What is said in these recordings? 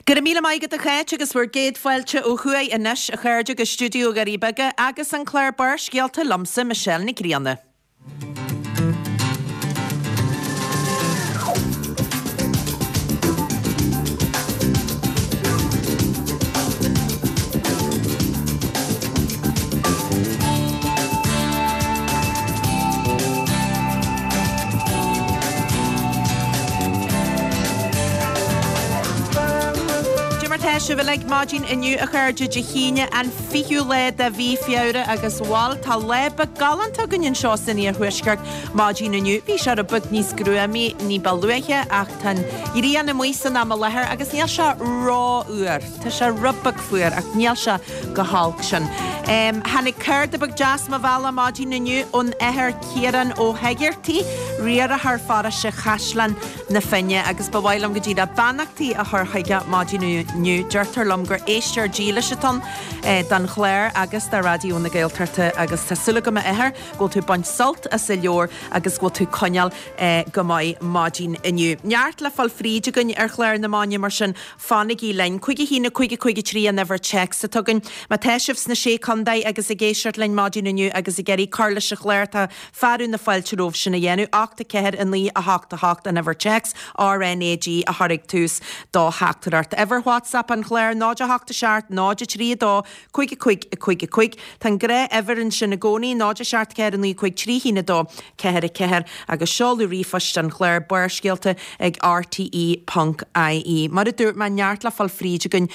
Go raibh míle maith agat a Cháit agus bhur gcéad fáilte ó thuaidh anois a chairde go stiúideo Dhoirí Beaga agus an clár Barrscéalta liomsa Michelle Nic Grianna. Cad é mar tá sibh uilig maidin inniu a chairde Dé hAoine an 20ú lá de mhí Feabhra agus bhal tá lá beag galánta againn anseo san iarthuaisceart maidin inniu. Bhí sé rud beag níos gruamaí ní ba luaithe ach tá an ghrian amuigh san am i láthair agus níl sé rófhuar. Tá sé rud beag fuar ach níl sé chomh holc sin. Tháinig cárta beag deas mo bhealach maidin inniu ón Athair Ciarán Ó hEigeartaigh, riarthóir pharóiste Chaisleán na Finne agus ba mhaith liom go díreach beannachtaí a chur chuige maidin inniu. Deirtear liom gur éisteoir dílis atá ann don chlár agus do Raidió na Gaeltachta agus tá súil agam a Athair go bhfuil tú ag baint sult as an leabhar agus go bhfuil tú ag coinneáil go maith maidin inniu. Neart le fáil fríd againn ar chlár na maidine mar sin Fanaigí linn. 5 1 5 5 3 an uimhir téacs atá againn. Má tá sibh sna Sé Contae agus ag éisteacht linn maidin inniu agus ag iarraidh cur leis an chlár tá fearadh na fáilte romhaibh sin a dhéanamh. 8 4 9 8 8 an uimhir téacs, RNAG a chur ag tús do theachtaireacht. Uimhir WhatsApp an chláir 0 8 7 0 3 2 5 5 5 5. Tá an gnáth-uimhir ansin i gcónaí, 0 7 4 9 5 3 1 2 4 4, agus seoladh ríomhphoist an chláir, Barrscéalta ag rte ponc ie. Mar a dúirt mé, neart le fáil fríd againn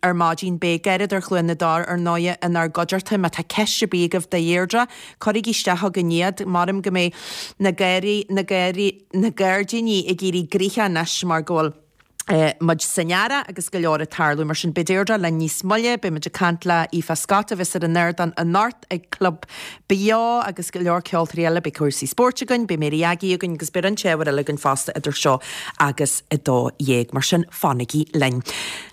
ar maidin. Beidh Garradóir Chluain na dTor, ar ndóighe, inár gcuideachta. Má tá ceist ar bith agaibh do Dheirdre, cuirigí isteach chugainn iad. Maram go mbeidh na garraí, na garraí, na gairdíní ag éirí gnoitheach anois mar go bhfuil. muid san earrach agus go leor ag tarlú. Mar sin, beidh Deirdre linn níos moille, beidh muid ag caint le Aoife Scott a bheas ar an ardán anocht ag Club Beo agus go leor ceoltóirí eile. Beidh cúrsaí spóirt againn, beidh Mary Aggie againn agus beidh roinnt ábhair eile againn fosta idir seo agus 12. Mar sin, fanaigí linn.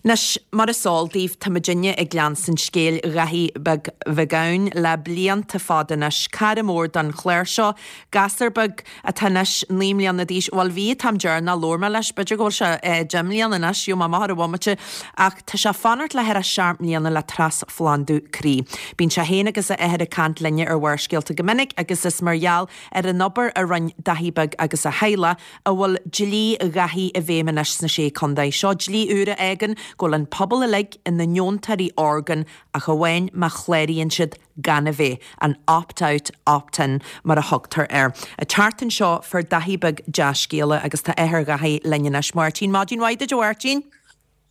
Anois, mar is eol daoibh, tá muidinne ag leanstan scéal Dhaithí Beag Mhig Eoin le blianta fada anois. Cara mór don chlár seo, gasúr beag, atá anois 9 mbliana d'aois, bhuel bhí an t-am deireanach a labhair mé leis, b'fhéidir go bhfuil sé 10 mbliana anois, gheobhaidh mé amach ar an bhomaite, ach tá sé ag fanacht le thar 7 mbliana le trasphlandú croí. Bíonn sé féin agus a athair ag caint linne ar Bharrscéalta go minic agus is mar gheall ar an obair a rinne Daithí Beag agus a theaghlach a bhfuil dlí Dhaithí i bhfeidhm anois sna Sé Contae. Seo dlí úr a fhágann go bhfuil an pobal uilig ina ndeontóirí orgán ach amháin má chláraíonn siad gan a bheith, an opt out, opt in mar a thugtar air. An tseachtain seo fuair Daithí Beag dea-scéala agus tá athair Dhaithí linn anois. Máirtín, Maidin mhaith duit a Mháirtín.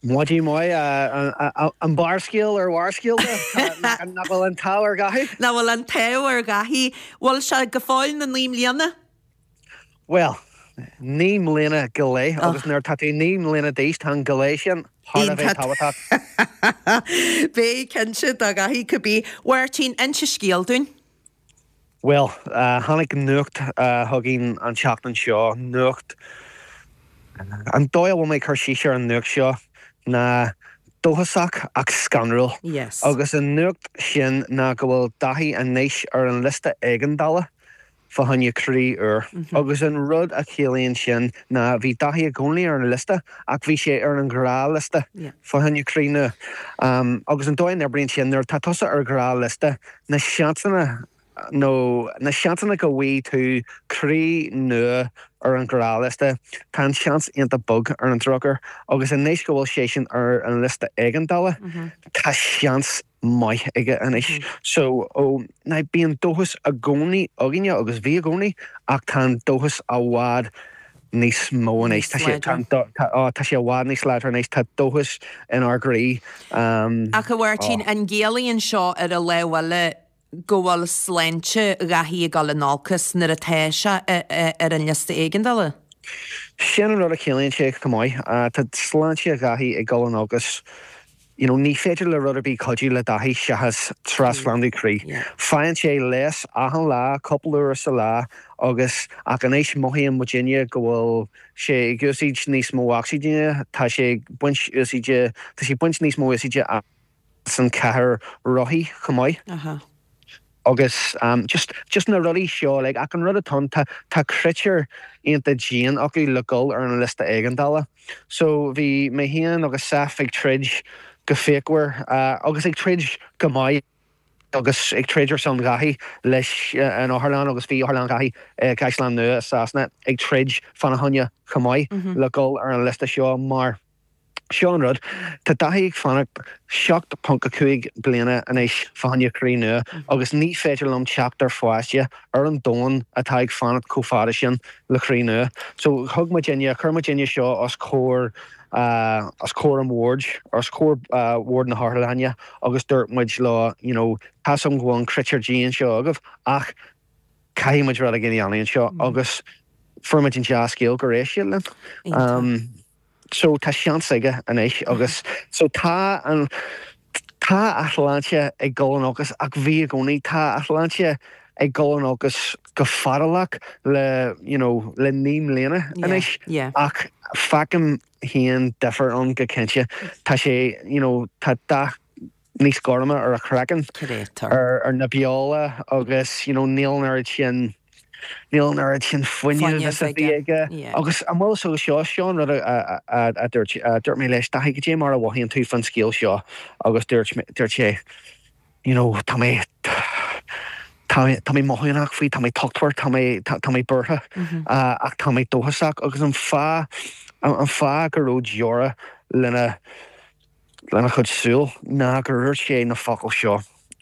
Maidin mhaith, an barrscéal ar bharrscéalta, nach bhfuil an t-ádh ar Dhaithí? Nach bhfuil an t-ádh ar Dhaithí. Bhfuil sé go fóill na 9 mbliana? Bhuel, 9 mbliana go leith agus nuair atá tú 9 mbliana d'aois tá an go leith sin thar a bheith tábhachtach. Beidh, cinnte, do Dhaithí cibé. Mháirtín, inse scéal dúinn. Bhuel, tháinig nuacht chugainn an tseachtain seo, nuacht, an dóigh a bhfuil mé ag cur síos ar an nuacht seo ná dóchasach ach scanrúil. Yes. Agus an nuacht sin ná go bhfuil Daithí anois ar an liosta éigeandála fá choinne croí úr. Agus an rud a chiallaíonn sin ná bhí Daithí i gcónaí ar an liosta ach bhí sé ar an ghnáthliosta fá choinne croí nua. Agus an dóigh a n-oibríonn sin, nuair atá tusa ar ghnáthliosta, na seansanna nó na seansanna go bhfaighidh tú croí nua ar an ghnáthliosta, tá an seans iontach beag ar an drochuair. Agus anois go bhfuil seisean ar an liosta éigeandála, tá seans maith aige anois. So, ó, now bíonn dóchas i gcónaí againne agus bhí i gcónaí ach tá an dóchas i bhfad níos mó anois. Tá sé, tá, tá, ó, tá sé i bhfad níos láidre anois. Tá dóchas inár gcroí. Ach a Mháirtín, an gciallaíonn seo ar an lámh eile go bhfuil sláinte Dhaithí ag dul in olcas nuair atá sé ar an liosta éigeandála? Sin an rud a chiallaíonn sé chomh maith. Tá sláinte Dhaithí ag dul in olcas. You know, ní féidir le rud ar bith cuidiú le Daithí seachas trasphlandú croí. Faigheann sé leigheas achan lá, cúpla uair sa lá agus ach anois mothaíonn muidinne go bhfuil sé ag úsaid níos mó ocsaigine, tá sé ag baint úsaide, tá sé ag baint níos mó úsaide as an chathaoir rothaí chomh maith. Agus just, just na rudaí seo like ach an rud atá ann tá, tá critéir iontach dian acu le dhul ar an liosta éigeandála. So bhí mé féin agus Saf ag troid go fíochmhar agus ag troid go maith agus ag troid ar son Dhaithí leis an otharlann agus bhí otharlann Dhaithí i gCaisleán Nua i Sasana ag troid fána choinne chomh maith le dhul ar an liosta seo mar Seo an rud, tá Daithí ag fanacht 7.5 bliana anois fá choinne croí nua agus ní féidir liom teacht ar pháiste ar an domhan atá ag fanacht chomh fada sin le croí nua. So thug muidinne, chuir muidinne seo os comhair, os comhair an bhoird, os comhair bhord na hotharlainne agus dúirt muid leo, you know, tá's agam go bhfuil an critéar dian seo agaibh ach caithfidh muid rud éigin a dhéanamh anseo agus fuair muid an dea-scéal gur éist siad linn. So tá seans aige anois agus so tá an, tá a shláinte ag dul in olcas ach bhí i gcónaí, tá a shláinte ag dul in olcas go fadálach le you know le 9 mbliana anois ach feicim féin difear ann go cinnte. Tá sé you know tá dath níos gorma ar a chraiceann, ar na beola agus you know níl an oiread sin, níl an oiread sin fuinnimh is a bhí aige. Agus an bhfuil fhios agat seo, seo an rud a dúirt, dúirt mé leis, Daithí, cad é mar a mhothaíonn tú fán scéal seo? Agus dúirt, dúirt sé, you know, tá mé, tá mé, tá mé mothúchánach faoi, tá mé tochtmhar, tá mé, tá mé buartha ach tá mé dóchasach agus an fáth, an fáth go raibh deora lena, lena chuid súl ná gur dhúirt sé na focail seo,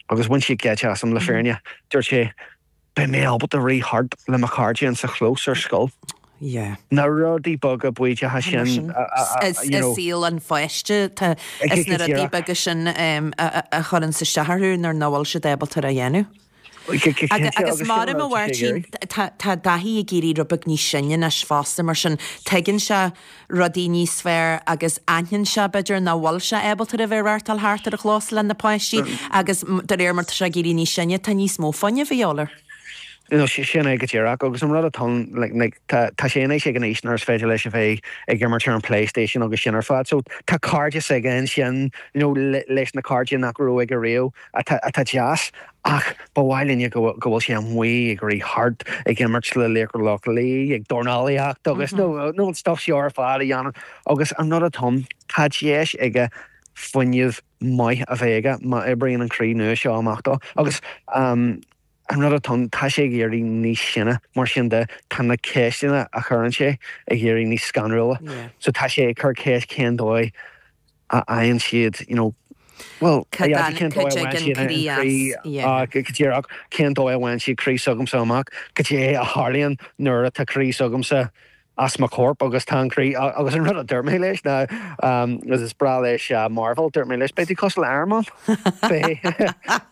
agus bhain siad geit asam, le fírinne. Dúirt sé, Beidh mé ábalta rith thart le mo chairde insa chlós ar scoil. Yeah. Na rudaí beaga baoideacha sin a, you know. I saol an pháiste, tá, is na rudaí beaga sin a chuireanns isteach orthu nuair nach bhfuil siad ábalta a dhéanamh. Agus mar a Mháirtín, tá Daithí ag éirí rud beag níos sine anois fosta, mar sin tuigeann sé rudaí níos fearr agus aithníonn sé, b'fhéidir, nach bhfuil sé ábalta a bheith ag reáchtáil thart ar an chlós le na páistí agus de réir mar tá sé ag éirí níos sine, tá níos mó fuinnimh a dhíobháil air. No, sin é go díreach. Agus an rud atá ann, like, tá, tá sé anois ag an aois nuair is féidir leis a bheith ag imirt ar an PlayStation agus sin ar fad. So tá cairdeas aige ansin, you know, leis na cairde nach raibh aige riamh. atá atá deas ach ba mhaith linne go go bhfuil sé amuigh ag rith thart, ag imirt le Laochra Loch Lao, ag dornálaíocht agus nó nó an stuff seo ar fad a dhéanamh agus an rud atá ann, tá deis aige fuinneamh maith a bheith aige má oibríonn an croí nua seo amach dó agus an rud atá ann, tá sé ag éirí níos sine mar sin de, tá na ceisteanna a chuireann sé ag éirí níos scanrúla so tá sé ag cur ceist cén dóigh a fhaigheann siad, you know, bhuel, a Dhaidí, cén dóigh a bhfaigheann siad an croí, go díreach, cén dóigh a bhfaigheann siad croí s'agamsa amach, cad é a tharlaíonn nuair atá croí s'agamsa as mo chorp agus tá an croí, agus an rud a dúirt mé leis ná, agus is breá leis Marvel, dúirt mé leis, beidh tú cosúil le Iron Man, beidh,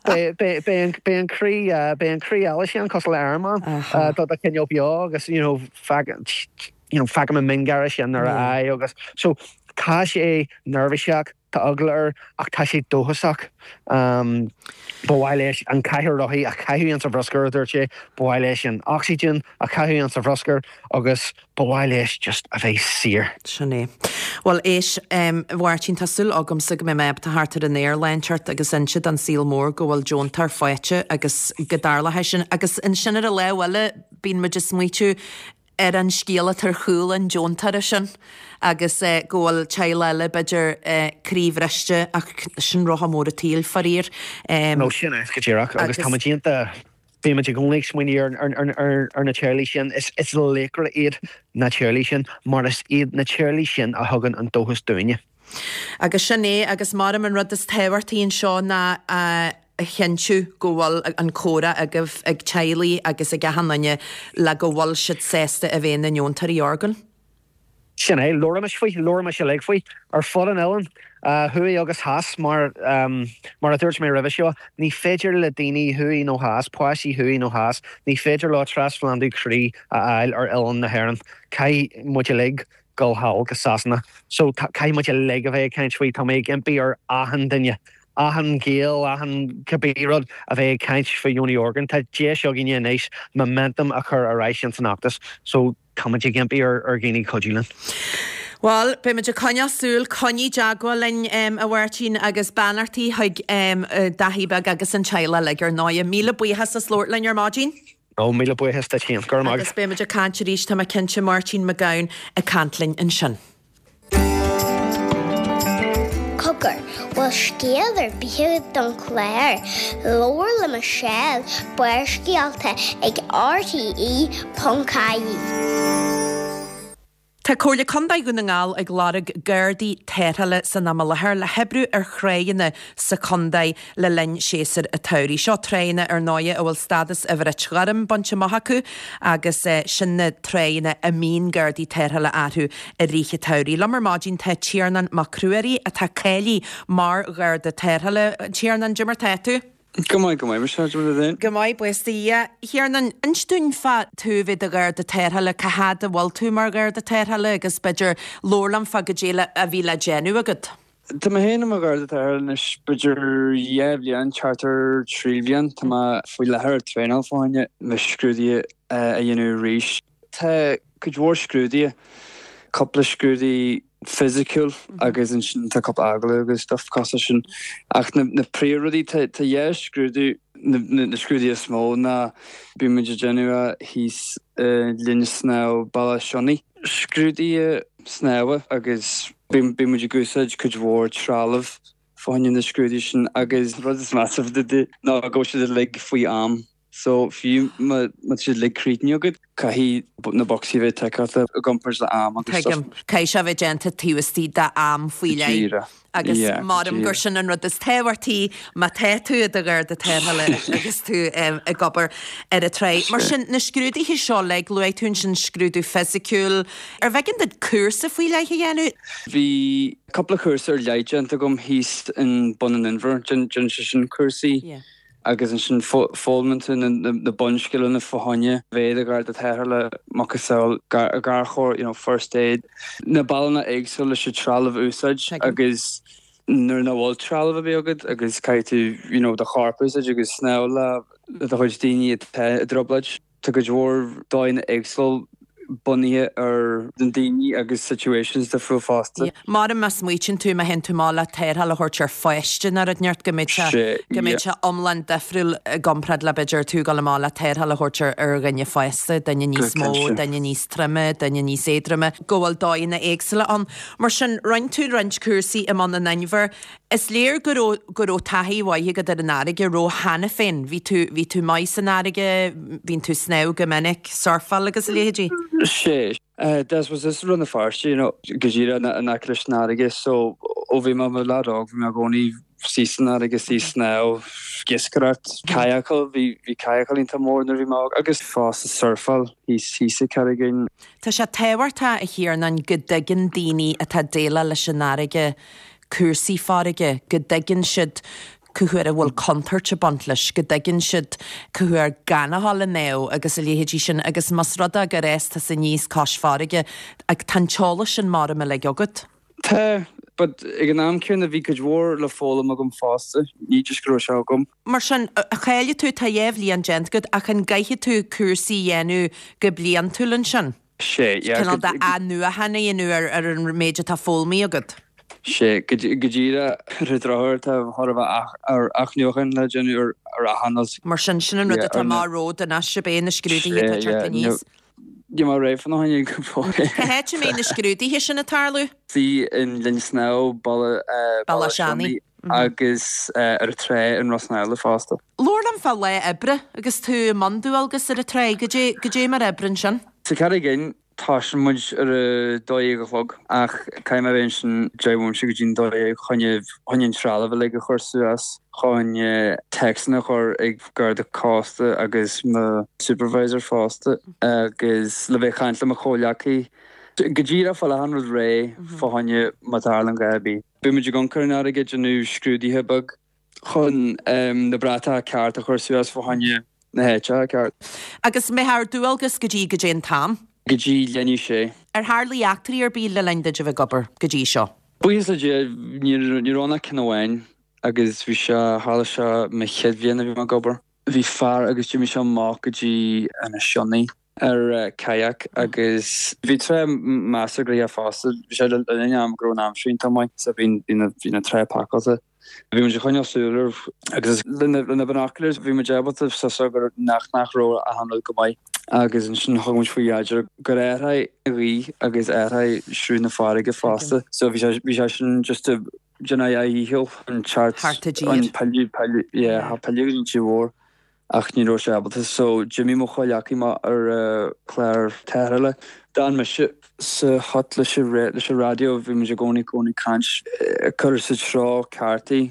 beidh, beidh, beidh an croí, beidh an croí eile sin cosúil le Iron Man, do do choinneáil beo agus, you know, you know, feicim an miongháire sin ar a aghaidh agus so tá sé neirbhíseach, tá eagla air ach tá sé dóchasach. Ba mhaith leis an chathaoir rothaí a chaitheamh insa bhruscar, a dúirt sé, ba mhaith leis an ocsaigin a chaitheamh insa bhruscar agus ba mhaith leis just a bheith saor. Sin é. Bhuel, éist, a Mháirtín, tá súil agamsa go mbeidh mé ábalta theacht ar an aer lá inteacht agus inse don saol mór go bhfuil deontóir faighte agus go dtarlóidh sin. Agus ansin ar an lámh eile, bíonn muid ag smaoitiú, ar an scéal atá ar chúl an deontóra sin agus go bhfuil teaghlach eile, b'fhéidir, croíbhriste ach sin rotha mór an tsaoil, faraor. No, sin é go díreach agus tá muid iontach, bíonn muid i gcónaí ag smaoineamh ar na teaghlaigh sin. Is laochra iad na teaghlaigh sin mar is iad na teaghlaigh sin a thugann an dóchas dúinne. Agus sin é, agus maram an rud is tábhachtaí anseo ná a chinntiú go bhfuil an comhrá agaibh ag teaghlaigh agus ag achan duine le go bhfuil siad sásta a bheith ina ndeontóirí orgán. Sin é, labhraimis faoi, labhraimis uilig faoi, ar fud an oileáin, thuaidh agus theas, mar, mar a dúirt mé roimhe seo, ní féidir le daoine thuaidh nó theas, páistí thuaidh nó theas, ní féidir leo trasphlandú croí a fháil ar oileán na hÉireann. Caithfidh muid uilig dul thall go Sasana. So caithfidh muid uilig a bheith ag caint faoi. Tá mé ag impí ar achan duine, achan Gael, achan cibé rud, a bheith ag caint faoi dheonú orgán. Tá deis againne anois momentum a chur ar ais ins an fheachtas. So tá muid ag impí ar ar dhaoine cuidiú linn. Bhuel, beimid ag coinneáil súil, coinnigh i dteagmháil linn, a Mháirtín, agus beannachtaí chuig Daithí beag agus an teaghlach uilig, ar ndóighe. Míle buíochas as labhairt linn ar maidin. Ó, míle buíochas duit féin. Go raibh maith agat. Agus beimid ag caint arís, tá mé cinnte, Máirtín Mac Gabhann ag caint linn ansin. Cogar, bhfuil scéal ar bith agat don chlár? Labhair le Michelle, Barrscéalta ag RTE.ie. Tá Comhairle Contae Dhún na nGall ag lorg Gardaí Tarrthála san am i láthair le hoibriú ar thráigheanna sa chontae le linn séasúr an tsamhraidh. Seo tráigheanna ar ndóighe a bhfuil stádas an Bhrait Ghoirm bainte amach acu agus sin na tráigheanna a mbíonn Gardaí Tarrthála orthu i rith an tsamhraidh. Liom ar maidin tá Tiarnán Mac Ruairí atá cáilithe mar Gharda Tarrthála. Tiarnán, cad é mar tá tú? Go maith, go maith, Michelle, cad é mar atá tú féin? Go maith, buíochas do Dhia. Thiarnáin, inis dúinn fá tú a bheith i do Gharda Tarrthála, cá fhad a bhfuil tú mar Gharda Tarrthála agus b'fhéidir labhair liom fá goidé a bhí le déanamh agat. Tá mé féin i mo Gharda Tarrthála anois b'fhéidir dhá bhliain, thart ar thrí bhliain. Tá mé faoi láthair ag traenáil fá choinne mo scrúduithe a dhéanamh arís. Tá cuid mhór scrúduithe, cúpla scrúdú fisiciúil agus ansin tá cúpla agallamh agus stuff cosúil leis sin. Ach na na príomhrudaí, tá tá dhá scrúdú, na na scrúduithe is mó ná bíonn muid ag déanamh é thíos i linn snámha Bealach Sionnaigh. Scrúduithe snámha agus bíonn bíonn muid ag úsáid cuid mhór trealamh fá choinne na scrúduithe sin agus rud is measa ná go bhfuil siad uilig faoi am. So, fiú má tá siad uilig críochnaithe agat, caithfidh na bocsaí a bheith ticeáilte i gcomparáid le am agus stuff. Tuigim. Caithfidh sé a bheith déanta taobh istigh d'am faoi Go leith. díreach. Agus Yeah, go maram gur díreach. sin an rud is tábhachtaí má tá tú i do Gharda Tarrthála agus tú ag obair ar an tráigh. Mar sin, na scrúduithe seo uilig, luaigh tú ansin scrúdú fisiciúil. Ar bh'éigean duit cúrsa faoi leith a dhéanamh? Bhí cúpla cúrsa ar leith déanta agam thíos in Bun an Inbhir. Déanann sé sin cúrsaí. Yeah. Agus ansin foghlaimíonn tú na bunscileanna fá choinne bheith i do Gharda Tarrthála, macasamhail garchabhair, you know, first aid, na bealaí éagsúla leis an trealamh a úsáid agus nuair nach bhfuil trealamh ar bith agat agus caithfidh tú, you know, do chorp a úsáid agus snámh le do chuid daoine atá i dtrioblóid. Tá cuid mhór dóigheanna éagsúil bunaithe ar na daoine agus situations difriúil fosta. Maram má smaoitíonn tú, má théann tú amach le tarrtháil a thabhairt ar pháiste nó rud inteacht go mbeidh sé, go mbeidh sé iomlán difriúil i gcomparáid le b'fhéidir tú ag dul amach le tarrtháil a thabhairt ar ar dhuine fásta, duine níos mó, duine níos troime, duine níos éadroime, go bhfuil dóigheanna éagsúla ann. Mar sin, rinne tú roinnt cúrsaí i mBun an Inbhir. Is léir go raibh, go raibh taithí mhaith agat ar an fharraige, raibh cheana féin? Bhí tú, bhí tú maith san fharraige, bhíonn tú ag snámh go minic, surfáil agus a leithéidí? Sea. That was as Rann na Feirste, you know, go díreach in aice leis an fharraige so ó bhí mé i mo leaid óg bhí mé i gcónaí istigh san fharraige, istigh ag snámh, ag iascaireacht, kayakáil, bhí, bhí kayakáil iontach mór nuair a bhí mé óg agus fosta surfáil thíos, thíos i Carraig Fhinn. Tá sé tábhachtach, a Thiarnáin, go dtuigeann daoine atá ag déileáil leis an fharraige cúrsaí farraige, go dtuigeann siad cá huair a bhfuil contúirt ag baint leis, go dtuigeann siad cá huair gan a dhul ag snámh agus a leithéidí sin agus más rud é gur fhás tusa aníos cois farraige, tá an t-eolas sin maram uilig agat. Tá, but ag an am céanna bhí cuid mhór le foghlaim agam fosta, ní just go raibh sé agam. Mar sin, cháiligh tú, tá dhá bhliain déanta agat ach an gcaithfidh tú cúrsaí a dhéanamh go bliantúil ansin? Sea, yeah. Cineál de athnuachan a dhéanamh ar ar an méid atá foghlamtha agat. Sea, go díreach. Ar an drochuair tá chóir a bheith athnuachan le déanamh ar ar achan rud. Mar sin, sin an rud atá amach romhat anois, ab é na scrúduithe atá ag teacht aníos? Níl mé réidh fána choinne go fóill. Cá háit a mbeidh na scrúduithe sin ag tarlú? Istigh in Linn Snámha, Bealach Sionnaigh agus ar an trá in Ros na Eile fosta. Labhair liom fá lá oibre agus tú i mbun dualgas ar an tráigh. Goidé, goidé mar a oibríonn sin? Sa Charraig Fhinn, tosaíonn muid ar a 12 a chlog ach caithfidh mé a bheith ansin 10 bhomaite go dtí'n 12 chun chun an trealamh uilig a chur suas, chun téacsanna a chur ag Garda Cósta agus mo supervisor fosta agus le bheith ag caint le mo chomhghleacaí. Go díreach fáil achan rud réidh fá choinne má tharlaíonn gá ar bith. Bíonn muid ag amharc ar an fharraige ag déanamh scrúduithe beag. chun na bratacha ceart a chur suas fá choinne na háiteacha ceart. Agus mbeifeá ar dualgas go dtí goidé an t-am? Go dtí leath i ndiaidh a sé. Ar tharlaigh eachtraí ar bith le linn duit a bheith ag obair go dtí seo? Buíochas le Dia, ní raibh ann ach ceann amháin agus bhí sé, tharla sé mo chéad bhliain a bhí mé ag obair. Bhí fear agus d'imigh sé amach go dtí Inis Sionnaigh. Ar kayak agus bhí trá measartha gnoitheach fosta. Bhí sé le linn am go raibh an aimsir iontach maith so bhí bhí na trá pacáilte. Bhí muid ag coinneáil súil air agus le na binoculars bhí muid ábalta suas gur nach nach raibh achan rud go maith agus ansin thug muid faoi deara gur athraigh an ghaoth agus athraigh sruth na farraige fosta so bhí sé bhí sé sin just ag déanamh a dhícheall an teacht Thart i dtír. an pilleadh pilleadh yeah pilleadh go dtí an tír mhór. ach ní raibh sé ábalta so d'imigh mo chomhghleacaí amach ar chlár tarrthála. D'fhan mise sa hut leis an leis an raidió, bhí muid i gcónaí cónaí ag caint, ag cur sa treo ceart í.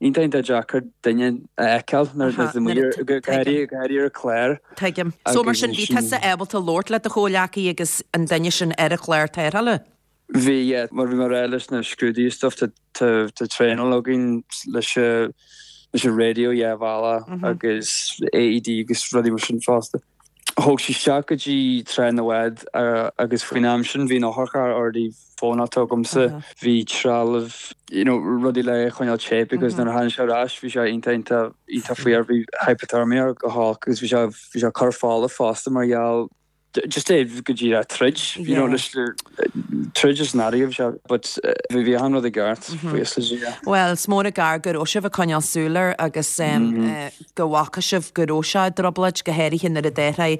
Iontach iontach deacair duine a fheiceáil nuair a bhí muid go háirithe go háirithe ar chlár. Tuigim. So mar sin bhí tusa ábalta labhairt le do chomhghleacaí agus an duine sin ar an chlár tarrthála? Bhí, yeah, mar bhí mé ag rá leis na scrúduithe is stuff, tá traenáil againn leis leis an radio dhá bhealach agus AED agus rudaí mar sin fosta. Thóg sí isteach go dtí trá na bhád agus faoin am sin bhí an otharcharr already fónáilte agamsa, bhí trealamh, you know, rudaí le é a choinneáil te because nuair a tháinig sé ar ais bhí sé iontach iontach iontach fuar, bhí hypothermia go holc agus bhí sé bhí sé ag cur fola fosta mar gheall just é go díreach troid, you know, leis troid is an fharraige bhí sé, but bhí bhí achan rud i gceart, buíochas le Dia. Bhuel, is mór an gar go raibh sibh ag coinneáil súil air agus go bhfaca sibh go raibh sé i dtrioblóid, go háirithe nuair a d'athraigh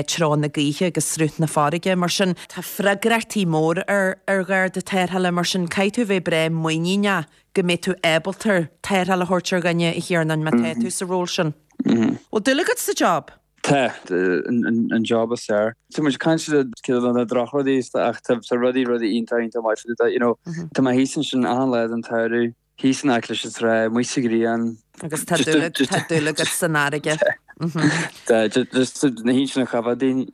treo na gaoithe agus sruth na farraige. Mar sin, tá freagrachtaí mór ar ar Gharda Tarrthála, mar sin caithfidh tú a bheith breá muiníneach go mbeidh tú ábalta tarrtháil a thabhairt ar dhuine, a Thiarnáin, má tá tú sa ról sin. Bhfuil dúil agat sa job? Tá, an job is fearr. Tá muid ag caint ar na drochrudaí ach tá rudaí rudaí iontach iontach maith faoi you know. Tá mé thíos ansin achan lá den tsamhradh, thíos in aice leis an trá, amuigh sa ghrian. Agus tá dúil agat san fharraige. Tá, just na hinseanna choimhead daoine.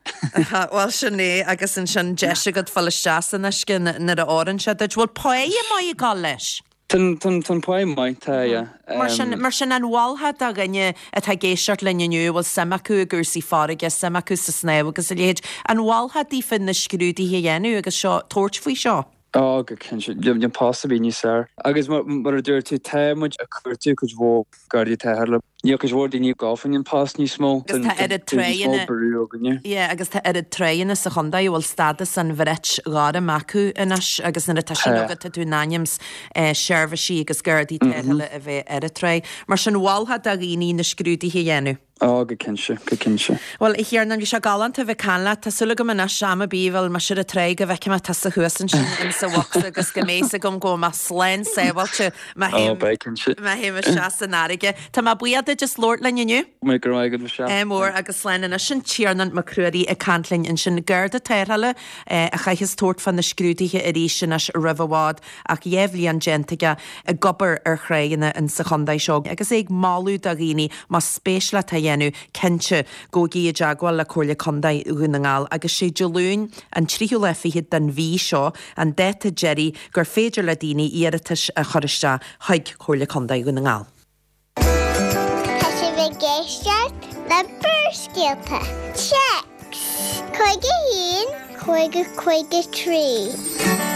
Bhuel sin é agus ansin deis agat fáil isteach san uisce nuair a oireann sé duit. Bhfuil páighe maith ag dul leis? Tá an pá maith, tá, yeah. Mar sin, mar sin, an mholfá do dhuine atá ag éisteacht linn inniu a bhfuil suim acu i gcúrsaí farraige, suim acu sa snámh agus a leithéid, an mholfá daofa na scrúduithe a dhéanamh agus seo, tabhairt faoi seo? Ó, go cinnte. Níl post ar bith níos fearr. Agus mar a dúirt tú, tá muid ag cuartú cuid mhór Gardaí Tarrthála. Níl cuid mhór daoine ag gabháil faoin an post níos mó. Agus tá oiread tráigheanna, yeah, agus tá oiread tráigheanna sa chontae a bhfuil stádas an bhrait ghoirm acu anois agus nuair atá sin agat tá tú in ainm is seirbhísí agus gardaí tarrthála a bheith ar an tráigh. Mar sin mholfá do dhaoine na scrúduithe a dhéanamh. Ó, go cinnte, go cinnte. Bhuel, a Thiarnáin, bhí sé galánta a bheith ag caint leat. Tá súil agam anois, am ar bith a bhfuil mise ar an tráigh go bhfeicfidh mé tusa thuas ansin in sa bhocsa agus go mbeidh 'fhios agam go bhfuil mé slán sábháilte má Ó, beidh cinnte. má théim isteach san fharraige. Tá mé buíoch duit as labhairt linn inniu. Go raibh maith agat, Michelle. Ádh mór agus slán anois. Sin Tiarnán Mac Ruairí ag caint linn ansin. Garda tarrthála a chaithfeas tabhairt fá na scrúduithe arís anois roimh i bhfad ach 2 bhliain déanta aige ag obair ar thráigheanna in sa chontae seo agus é ag moladh do dhaoine más spéis leat é a dhéanamh, cinnte, gabhaigí i dteagmháil le Comhairle Contae Dhún na nGall agus sé Dé Luain an tríú lá fichead den mhí seo an dáta deiridh gur féidir le daoine iarratais a chur isteach chuig Comhairle Contae Dhún na nGall. Tá sibh ag éisteacht le Barrscéalta. Téacs 51 50 53.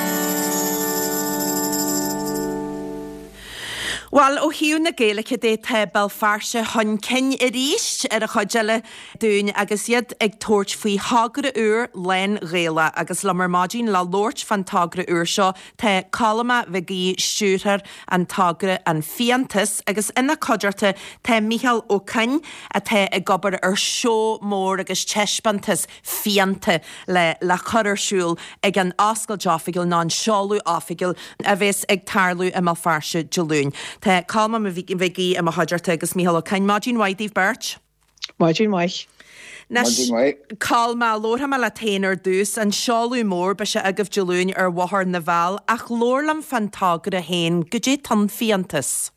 Bhuel, ó thaobh na Gaeilge de, tá Béal Feirste chun cinn arís ar an chuid eile dúinn agus iad ag tabhairt faoi thogra úr lán-Ghaelach. Agus liom ar maidin le labhairt fán togra úr seo tá Colm Mac Aoidh, stiúrthóir an togra An Fiántas, agus ina chuideachta tá Mícheál Ó Coinn atá ag obair ar seó mór agus taispeántas fíonta le le cur ar siúl ag an oscailt oifigiúil nó an seoladh oifigiúil a bheas ag tarlú i mBéal Feirste Dé Luain. Tá Colm Mac Aoidh i mo chuideachta agus Mícheál Ó Coinn. Maidin mhaith daoibh beirt. Maidin mhaith. Anois, Colm, labharfaidh mé leat féin ar dtús. An seoladh mór, beidh sé agaibh Dé Luain ar Bhóthar na bhFál, ach labhair liom fán togra féin, goidé tá An Fiántas?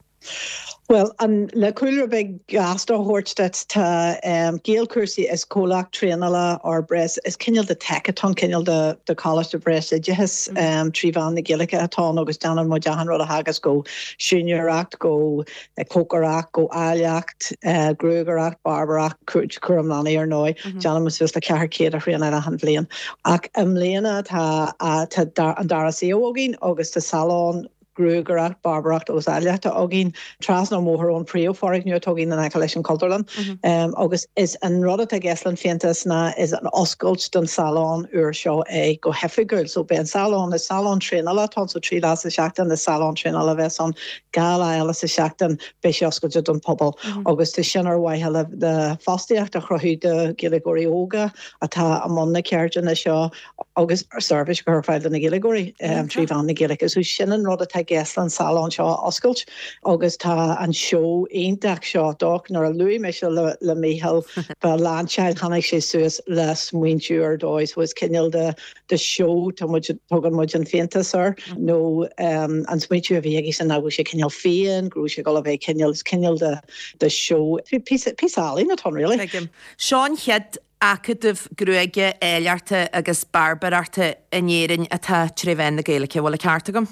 Bhuel, le cúlra beag gasta a thabhairt duit, tá Gaelchúrsaí, is comhlacht traenála or breis, is cineál de tech atá ann, cineál de de choláiste breisoideachais trí mheán na Gaeilge atá ann agus déanann muid achan rud a theagasc ó siúinéireacht go cócaireacht, go áilleacht, gruagaireacht, bairbéireacht, cúram leanaí ar ndóigh. Déanann muid suas le 400 a thraenáil achan bhliain. Ach i mbliana tá an dara suíomh againn agus tá salón. gruagaireacht, bairbéireacht agus áilleachta againn trasna an bhóthair ón príomhfhoirgneamh atá againn in aice leis an Chultúrlann. Agus is an rud atá i gceist le an Fiántas ná is an oscailt don salón úr seo é go hoifigiúil. So beidh an salón, is salón traenála atá ann, so 3 lá sa seachtain is salón traenála a bheas ann, 2 lá eile sa seachtain beidh sé oscailte don phobal. Agus tá sin ar mhaithe le fostaíocht a chruthú do Ghaeilgeoirí óga atá i mbun na ceirdeanna seo agus seirbhís a chur ar fáil do na Gaeilgeoirí trí mheán na Gaeilge. So sin an rud atá i gceist le an salón seo a oscailt agus tá an seó iontach seo doc nuair a luaigh mise le le Mícheál fá lainseáil tháinig sé suas le smaointiú ar dóigh so is cineál de de seó tá muid tugann muid an fiántas air nó an smaointiú a bhí aige sin ná go raibh sé cineál fiáin go raibh sé ag dul a bheith cineál is cineál de de seó píosa píosa ealaíne atá ann really. Tuigim. Seo an chéad acadamh gruaige, áilleachta agus bearbaireachta in Éirinn atá tré mheán na Gaeilge. Bhfuil an ceart agam?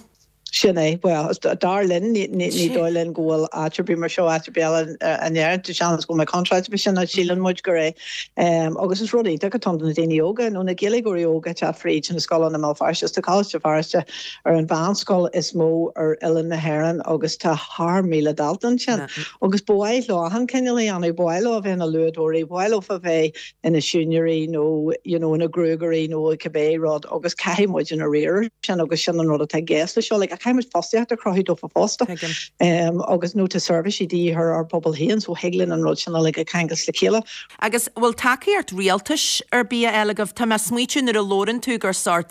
Sin é. Bhuel, dar linn, ní dóigh linn go bhfuil áit ar bith mar seo áit ar bith eile in Éirinn. Tá seans go bhfuil mé contráilte faoi sin, ach síleann muid gur é. Agus is rud iontach atá ann do na daoine óga, nó na Gaeilgeoirí óga ag teacht fríd na scoileanna i mBéal Feirste. Tá Coláiste Feirste ar an mheánscoil is mó ar oileán na hÉireann agus tá thar 1,000 dalta ansin. Agus ba mhaith leo achan cineál a dhéanamh, ba mhaith leo a bheith ina luaidheoirí, ba mhaith leo a bheith ina siúinéirí nó you know ina gruagairí nó cibé rud agus caithfidh muid a riar air sin agus sin an rud atá i gceist le seo. Like caithfidh muid fostaíocht a chruthú dófa fosta. Tuigim. Agus nó tá seirbhísí de dhíth ar ár bpobal féin so thig linn an rud sin uilig a cheangal le chéile. Agus bhfuil tacaíocht rialtais ar bith á fháil agaibh? Tá mé ag smaoitiú nuair a labhrann tú gur sórt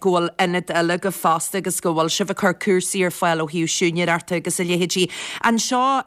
go bhfuil ionad eile agaibh fosta agus go bhfuil sibh ag cur cúrsaí ar fáil ó thaobh siúinéireachta agus a leithéidí. An seo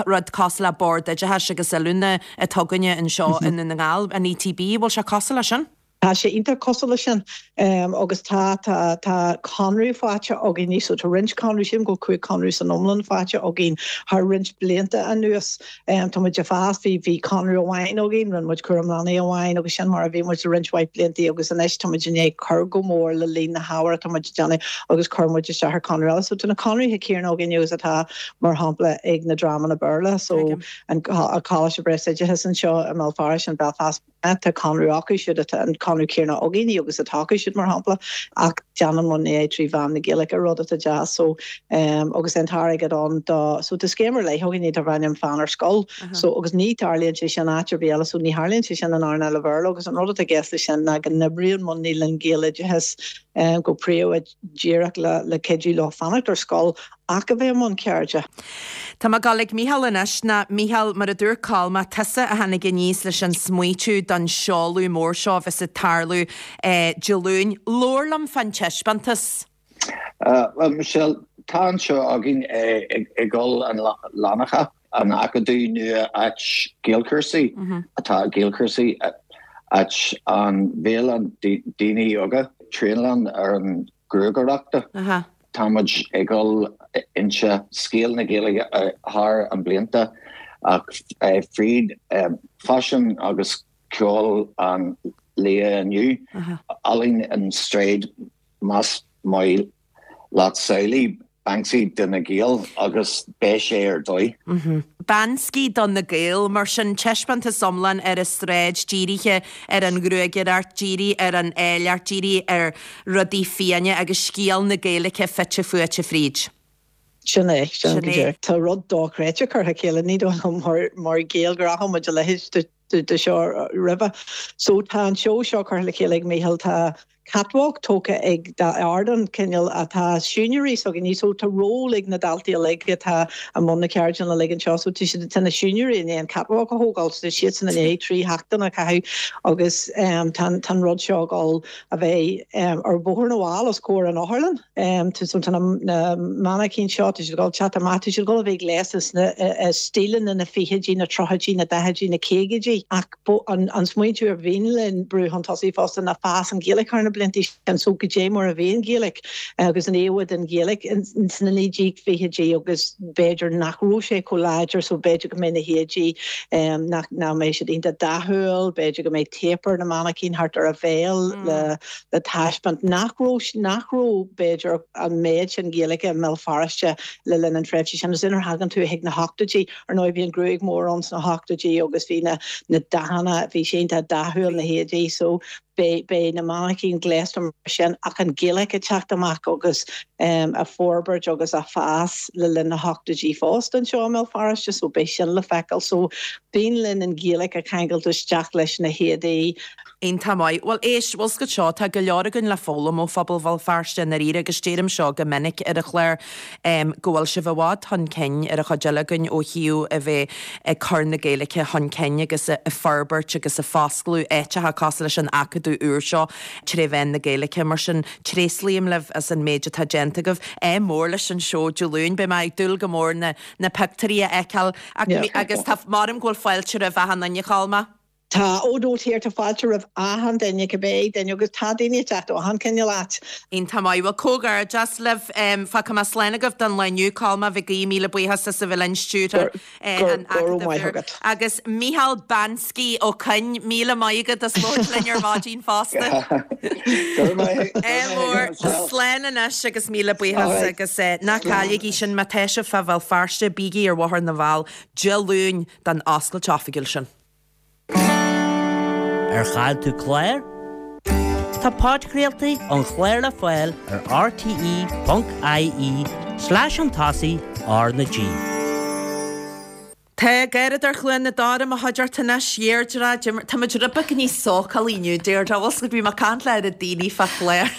rud cosúil le Bord Oideachais agus Oiliúna atá againne anseo i nDún na nGall, an ETB, bhfuil sé cosúil leis sin? Tá sé iontach cosúil leis sin agus tá, tá, tá conradh faighte againn, so tá roinnt conradh, sílim go bhfuil 5 conradh san iomlán faighte againn thar roinnt blianta anuas. Tá muid ag fás, bhí, bhí conradh amháin againn, rinne muid cúram leanaí amháin agus sin mar a bhí muid le roinnt mhaith blianta agus anois tá muid i ndiaidh cur go mór le líon na hábhair atá muid ag déanamh agus chuir muid isteach ar conradh eile. So tá na conarthaí céanna againn agus atá mar shampla ag na dreamanna Béarla, so an Coláiste Breisoideachais anseo i mBéal Feirste, an Belfast. Tá conradh acu siúd, tá an conradh céanna againne agus atá acu siúd, mar shampla, ach déanann muid é trí mheán na Gaeilge, rud atá deas. So, agus an t-airgead ann do, so tá scéim ar leith againne darb ainm Fan ar Scoil. So, agus ní tarlaíonn sé sin áit ar bith eile, so ní tharlaíonn sé sin in earnáil an Bhéarla agus an rud atá i gceist leis sin ná go n-oibríonn muidne le Gaeloideachas go príomha díreach le cuidiú leo fanacht ar scoil ach a bheith i mbun ceirde. Tá mé ag dul ag Mícheál anois. Ná, Mícheál, mar a dúirt Colm, tusa a tháinig aníos leis an smaoitiú don seoladh mór seo a bheas ag tarlú Dé Luain. Labhair liom fán taispeántas. Bhuel, Michelle, tá anseo againn i gCoill an Fhlanncha, an acadamh nua áit Gaelchúrsaí, atá Gaelchúrsaí, áit an bhéal daoine óga traenáil ar an gruagaireachta. Tá muid ag dul inse scéal na Gaeilge thar an blianta ach fríd faisean agus ceol an lae inniu, ealaín an stráid más maith leat samhlaigh Banksy do na Gaeil agus beidh sé ar dóigh. Banksy do na Gaeil, mar sin, taispeántas iomlán ar an stráid dírithe ar an ghruagaireacht, dírithe ar an áilleacht, dírithe ar rudaí fiáine agus scéal na Gaeilge fite fuaite fríd. Sin é, sin go díreach. Tá rud dochreidte curtha le chéile, ní dóigh liom mar Ghaeil gur fhaca muid a leithéid de seo roimhe. So tá an seó seo curtha le chéile ag Mícheál, tá catwalk tógtha ag ardán cineál atá siúinéirí s'againne so tá ról ag na daltaí uilig atá i mbun na ceardlanna uilig anseo so tá siad tá na siúinéirí i ndiaidh an catwalk a thógáil so tá siadsan i ndiaidh 3 sheachtain a chaitheamh agus tá an rud seo ag dul a bheith ar Bhóthar na bhFál os comhair an otharlann. So tá na mainicín seo tá siad ag dul teacht amach tá siad ag dul a bheith gléasta sna stíleanna na fichidí na tríochaidí na daichidí na caogaidí ach An smaointiú a bhíonn linn brú chun tosaigh fosta ná fás an Ghaeilge thar na blianta sin so goidé mar a bhí an Ghaeilge agus an íomha den Ghaeilge sna 1920idí agus b'fhéidir nach raibh sé chomh láidir so b'fhéidir go mbeidh na héadaí nach mbeidh siad iontach dathúil, b'fhéidir go mbeidh téip ar na mainicín thart ar a bhéal le le taispeáint nach raibh nach raibh b'fhéidir an méid sin Gaeilge i mBéal Feirste le linn an tréimhse sin agus nuair a thagann tú chuig na hochtóidí Ar ndóigh bhí an ghruaig mhór ann sna hochtóidí agus bhí na na dathanna, bhí sé iontach dathúil na héadaí so. Beidh, beidh na mainicíní gléasta mar sin ach an Ghaeilge ag teacht amach agus á forbairt agus á fás le linn na hochtóidí fosta anseo i mBéal Feirste so beidh sin le feiceáil. So b'aoibhinn linn an Ghaeilge a cheangailt isteach leis na héadaí. Iontach maith. Bhuel, éist, bhfuil 's agat seo, tá go leor againn le foghlaim ó phobal Bhéal Feirste i ndáiríre agus deirim seo go minic ar an chlár, go bhfuil sibh i bhfad chun cinn ar an chuid eile againn ó thaobh a bheith ag cur na Gaeilge chun cinn agus ag forbairt agus ag foscladh áiteacha cosúil leis an Acadamh úr seo tré mheán na Gaeilge. Mar sin, tréaslaím libh as an méid atá déanta agaibh. Ádh mór leis an seó Dé Luain. Beidh mé ag dúil go mór na na pictiúirí a fheiceáil. Agus tá, maram go bhfuil fáilte roimh achan duine, a Cholma. Tá, ó no dear, tá fáilte roimh achan duine, cibé duine, agus tá daoine ag teacht ó achan cineál áit. Iontach maith. Bhuel, comhghairdeas libh. Fágfaidh mé slán agaibh don lá inniu. Colma Mhic Aoidh, míle buíochas as a bheith linn, stiúrthóir an Go raibh Acadaimh maith Úr. agat. Agus Micheál Bansky Ó Coinn, míle maith agat as labhairt linn ar maidin fosta. Go raibh maith Ádh mór. agat, Michelle. Slán anois agus míle buíochas Alright. agus ná cailligí sin má tá sibh fá Bhéal Feirste, bígí ar Bhóthar na bhFál Dé Luain don oscailt oifigiúil sin. Ar chaill tú clár? Tá podchraoltaí an chláir le fáil ar rte.ie slash chun tosaigh R na G. Tá Gáradóir Chluain na Dora i mo chuideachta anois, Deirdre, tá muid rud beag níos sócálaí inniu, Deirdre, bhfuil 's agat, bhí mé ag caint le oiread daoine fá chlár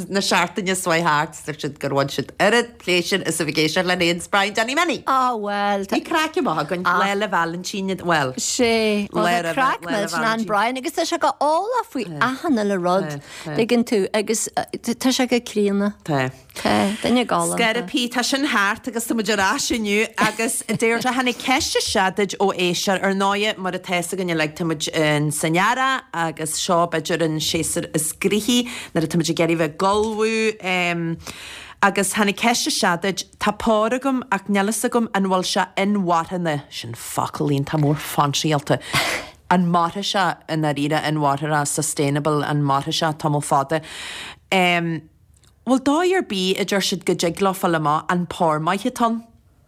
na seachtaine seo thart, dúirt siad gur bhain siad oiread pléisiúr as a bheith ag éisteacht le Names Brian Danny Minnie. Á bhuel, Bhí craic amach againn, Lá 'le Vailintín, bhuel, Sé, bhuel lá tá roimhe craic Lá 'le millteanach ann Vailintín. Brian agus tá sé go eolach faoi achan uile rud, Tá, tá. tuigeann tú, agus tá sé go críonna. Tá. Tá, duine galánta. Scairpí, tá sin thart agus tá muid ar ais inniu agus Deirdre, tháinig ceist isteach duit ó éisteoir, ar ndóighe, mar atá 'fhios againn uilig, tá muid in san earrach agus seo b'fhéidir an séasúr is gnoithí nuair atá muid ag iarraidh bheith ag ullmhú. Agus tháinig ceist isteach duit, tá pór agam ach níl fhios agam an bhfuil sé inmharthana, sin focal iontach mór fainsíálta, an mairfidh sé i ndáiríre, inmharthana, sustainable, an mairfidh sé tamall fada. Em, bhfuil dóigh ar bith, a deir siad, go dtig leo fáil amach an pór maith atá ann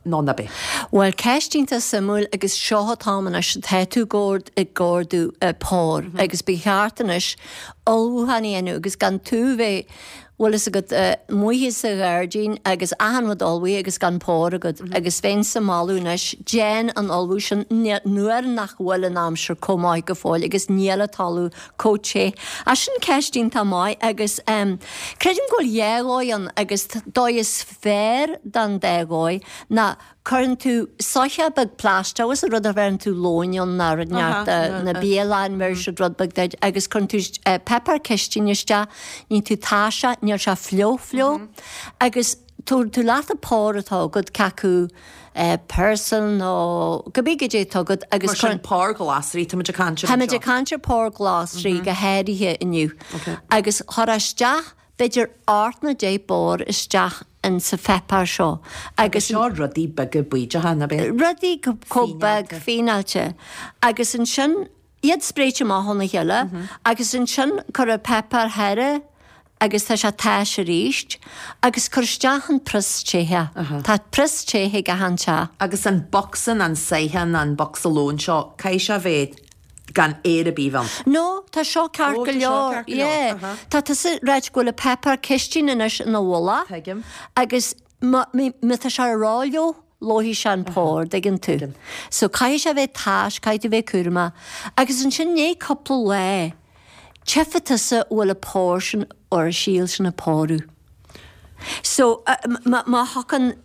nó ná bith? Bhuel, ceist iontach suimiúil agus seo an t-am anois atá tú ag ordú pór agus ba cheart anois ullmhúchán a dhéanamh agus gan tú bheith bhfuil fhios agat, amuigh sa ghairdín agus achan rud ullmhaithe agus gan pór agat agus bheinnse ag moladh anois, déan an ullmhú sin nuair nach bhfuil an aimsir chomh maith go fóill agus níl an talamh chomh te. Ach sin ceist iontach maith agus creidim go bhfuil dhá dhóigh ann agus dóigh is fearr den dá dhóigh ná Cuireann tú soitheach beag plaisteach, agus an rud a bheireann tú lóin ann ná rud inteacht na bialann, bheireann siad rud beag duit agus cuireann tú páipéar cistine isteach, níonn tú taise, níl sé fliuch fliuch agus tabhair tú leat an pór atá agat, cé acu pearsal nó cibé goidé atá agat agus Mar sin pór glasraí, tá muid ag caint ar Tá muid ag caint ar pór glasraí go háirithe inniu agus chuir isteach b'fhéidir ocht nó 10 bpór isteach in sa pháipéar seo agus. Seo rudaí beaga bídeacha, ná b'é? Rudaí chomh beag fíneáilte. Agus ansin iad spréite amach óna chéile agus ansin cuir an páipéar thaire agus tá sé tais arís agus cuir isteach an prios tae. Tá prios tae ag achan teach. Agus an bocsa, an soitheach, an bocsa lóin seo, caithfidh sé a bheith gan aer ar bith ann. No, tá seo ceart go leor. Yeah. Tá tusa ag ráit go bhfuil an páipéar cistine anois ina mhullach. Tuigim. Agus má tá sé rófhliuch, lófaidh sé an pór, dtuigeann tú. So caithfidh sé a bheith tais, caithfidh tú bheith cúramach. Agus ansin i ndiaidh cúpla lá, tchífidh tusa an bhfuil an pór sin, or an síol sin ag pórú. So, má thiocfainn,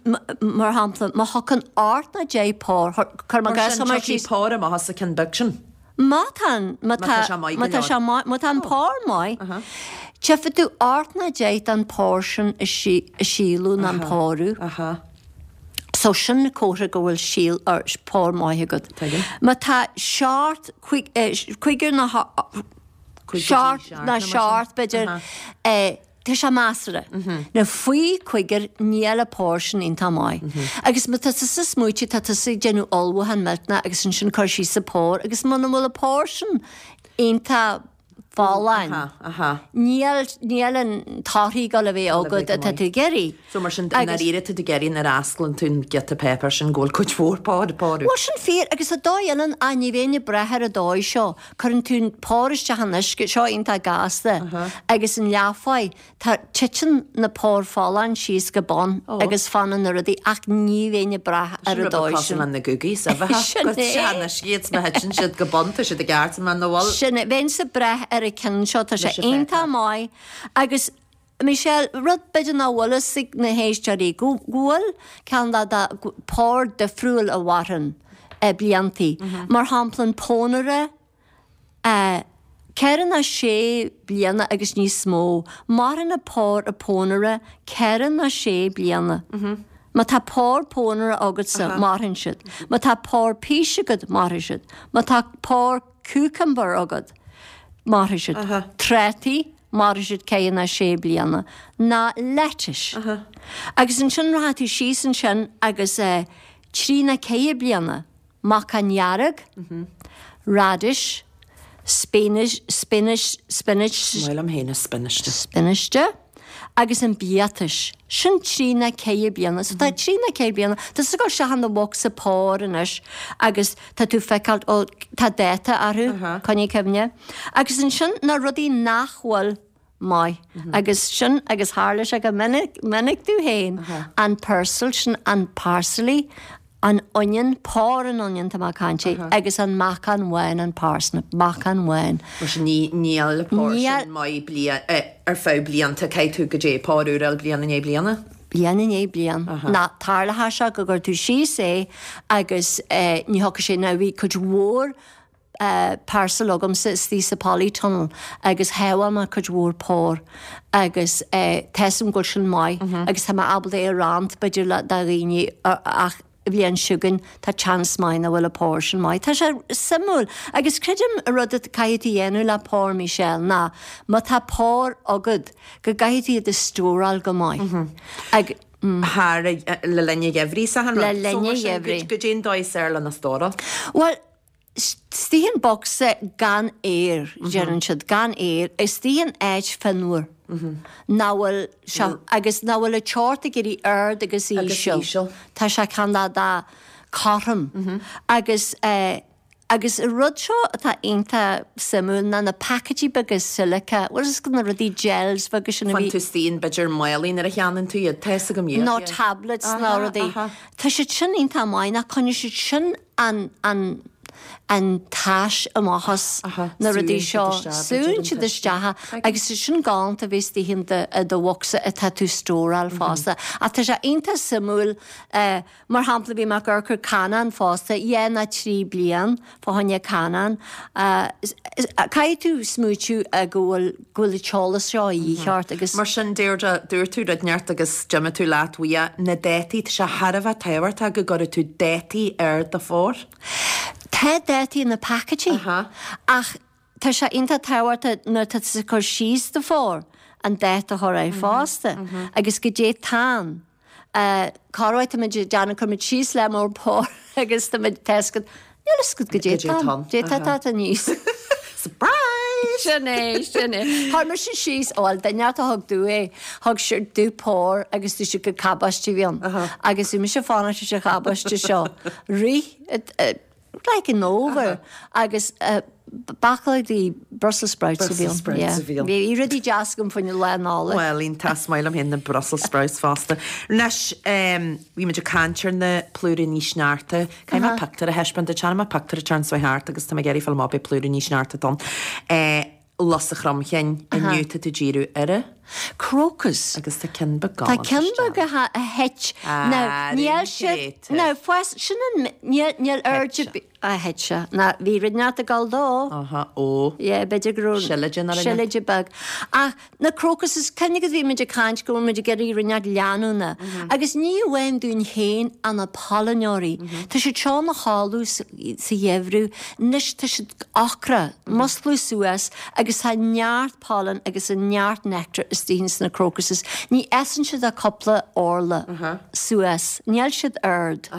mar shampla, má thiocfainn ocht nó 10 pór, cuir Mar sin, tiocfaidh pór amach as an ceann beag sin. Má tá an, má tá, má tá sé maith, má tá an pór maith, tchífidh tú ocht nó 10 den pór sin ag síolú nó ag pórú. So sin comhartha go bhfuil síol, or pór maith agat. Má tá seacht, cúigear nó seacht nó seacht b'fhéidir, Tá sé measartha. Now faoi chúigear níl an pór sin iontach maith. Agus má tá tusa ag smaoitiú tá tusa ag déanamh ullmhúchán millteanach agus ansin cur síos an pór agus muna bhfuil an pór sin iontach. Folláin. Níl, níl an torthaí ag dul a bheith agat atá tú ag iarraidh. So mar sin, i ndáiríre tá tú ag iarraidh nuair a osclaíonn tú an giota páipéir sin go bhfuil cuid mhór pór, pór. Bhuel sin fíor agus tá dóigh eile ann, ach ní bheinn ag brath ar an dóigh seo. Cuireann tú an pór isteach in uisce, seo iontach gasta, agus an leathfháidh, Tá, titeann na póir folláin síos go bun agus fanann na rudaí ach ní bheinn ag brath ar an dóigh sin. Cosúil le na gúgaí sa bheatha. Sin é. Sin iad má thiteann siad go bun tá siad i gceart má na bhfuil. Sin é. Bheinnse ag brath ar an ceann seo, tá sé iontach maith agus Michelle, rud b'fhéidir nach bhfuil fhios ag na héisteoirí, go bhfuil ceann de de pór difriúil a mhaireann bliantaí. Mar shampla an pónaire, 4 nó 6 bliana agus níos mó. Maireann an pór an pónaire 4 nó 6 bliana. Má tá pór pónaire agatsa, mairfidh siad. Má tá pór pís agat, mairfidh siad. Má tá pór cucumber agat, mairfidh siad. Trátaí, mairfidh siad 4 nó 6 bliana. Ná lettuce. Agus ansin rachaidh tú síos ansin agus 3 nó 4 bliana. Macán dhearg, radish, spinach, spinach, spinach. Is maith liom féin an spinach. Spinach agus an biatais. Sin trí ná ceithre bliana. So tá trí ná ceithre bliana. Tá tú ag dul isteach in do bhocsa pór anois agus tá tú feiceáil, ó, tá dáta orthu, coinnigh cuimhne. Agus ansin na rudaí nach bhfuil maith. Agus sin, agus tharla sé go minic, minic domh féin, an peirsil, sin an parsley, an onion, pór an onion tá mé ag caint air, agus an meacan bhán, an parsnip, meacan bhán. Mar sin ní, níl pór sin maith bliain, ar feadh blianta, caithfidh tú goidé pór úr a fháil bliain i ndiaidh bliana? Bliain i ndiaidh bliain. Ná tarlóidh sé go gcuir tú síos é agus ní thiocfaidh sé, now bhí cuid mhór, parsley agamsa istigh sa polytunnel agus shábháil mé cuid mhór pór agus tá 'fhios a'm go bhfuil sin maith agus tá mé ábalta é a roinnt b'fhéidir le do dhaoine ach an bhliain seo chugainn tá chance maith nach bhfuil an pór sin maith. Tá sé suimiúil agus creidim an rud a caithfidh tú a dhéanamh le pór Michelle ná má tá pór agat go gcaithfidh tú iad a stóráil go maith ag Thar le linn an gheimhridh sa rud. Le linn an gheimhridh. Goidé an dóigh is fearr lena stóráil. Bhuel, Istigh in bocsa gan aer, deireann siad, gan aer, istigh in áit fionnuar, nach bhfuil sé, agus nach bhfuil an teocht ag éirí ard agus íseal. Tá sé cineál de cothrom. Agus, agus an rud seo atá iontach suimiúil ná na paicéidí beaga silica, bhfuil fhios agat na rudaí gels beaga sin a bhí. Faigheann tú istigh in b'fhéidir málaí nuair a cheannaíonn tú iad, tá fhios agam iad. Nó tablets nó rudaí. Tá siad sin iontach maith, ná coinneoidh siad sin an, an, an tais amach as na rudaí seo, súnn siad isteach agus is sin galánta a bheith istigh in do, i do bhocsa atá tú stóráil fosta. Ach tá sé iontach suimiúil, mar shampla bhí mé ag amharc ar canán fosta, dhá nó trí bliain fá choinne canán. Caithfidh tú smaoitiú go bhfuil, go bhfuil an t-eolas seo a dhíth ort agus. Mar sin, Deirdre, dúirt tú rud inteacht agus d'imigh tú leat uaidh, na dátaí, tá sé thar a bheith tábhachtach go gcuirfidh tú dátaí ar do phór. Tá dátaí ar na paicéidí ach tá sé iontach tábhachtach nuair atá tú ag cur síos do phór an dáta a chur air fosta agus goidé atá ann. Corruair táimid ag déanamh, cuirimid síos lear mór pór agus táimid tá fhios agat, níl fhios agat goidé atá ann, goidé atá atá aníos. Surprise! Sin é, sin é. Chuir mise síos, bhuel, duine a thug domh é, thug sé domh pór agus dúirt sé gur cabáiste a bhí ann. Agus bhí mise ag fanacht leis an chabáiste seo. Rith, like an fhómhar agus baclaí Brussels sprouts a bhí ann. Brussels sprouts a bhí ann. Bhí rudaí deas agam faoin Lá Nollag. Bhuel, iontach, is maith liom féin na Brussels sprouts fosta. Anois, bhí muid ag caint ar na plúiríní sneachta. Caithfidh mé pictiúr a thaispeáint duit. Chonaic mé pictiúr ag teacht suas thart agus tá mé ag iarraidh fáil amach ab é plúiríní sneachta atá ann. Lus an Chromchinn, inniu tá tú ag díriú ar a. Crocus. Agus tá ceann beag galánta Tá ceann beag a thit. Now, níl siad, now, fás, sin an, níl, níl airde, a thit sé. Now, bhí rud inteacht ag dul dó. Aha, ó. Yeah, b'fhéidir go raibh. Seilide nó rud. Seilide beag. Ach na crocuses, cuimhnigh go bhí muid ag caint go bhfuil muid ag iarraidh rud inteacht leanúna. Agus ní amháin dúinn féin ach na pailneoirí. Tá siad seo ina chodladh sa gheimhreadh. Anois tá siad ocrach, muscladh suas agus tá neart pollen agus neart nectar istigh ins na crocuses. Ní fhásann siad ach cúpla orla suas. Níl siad ard.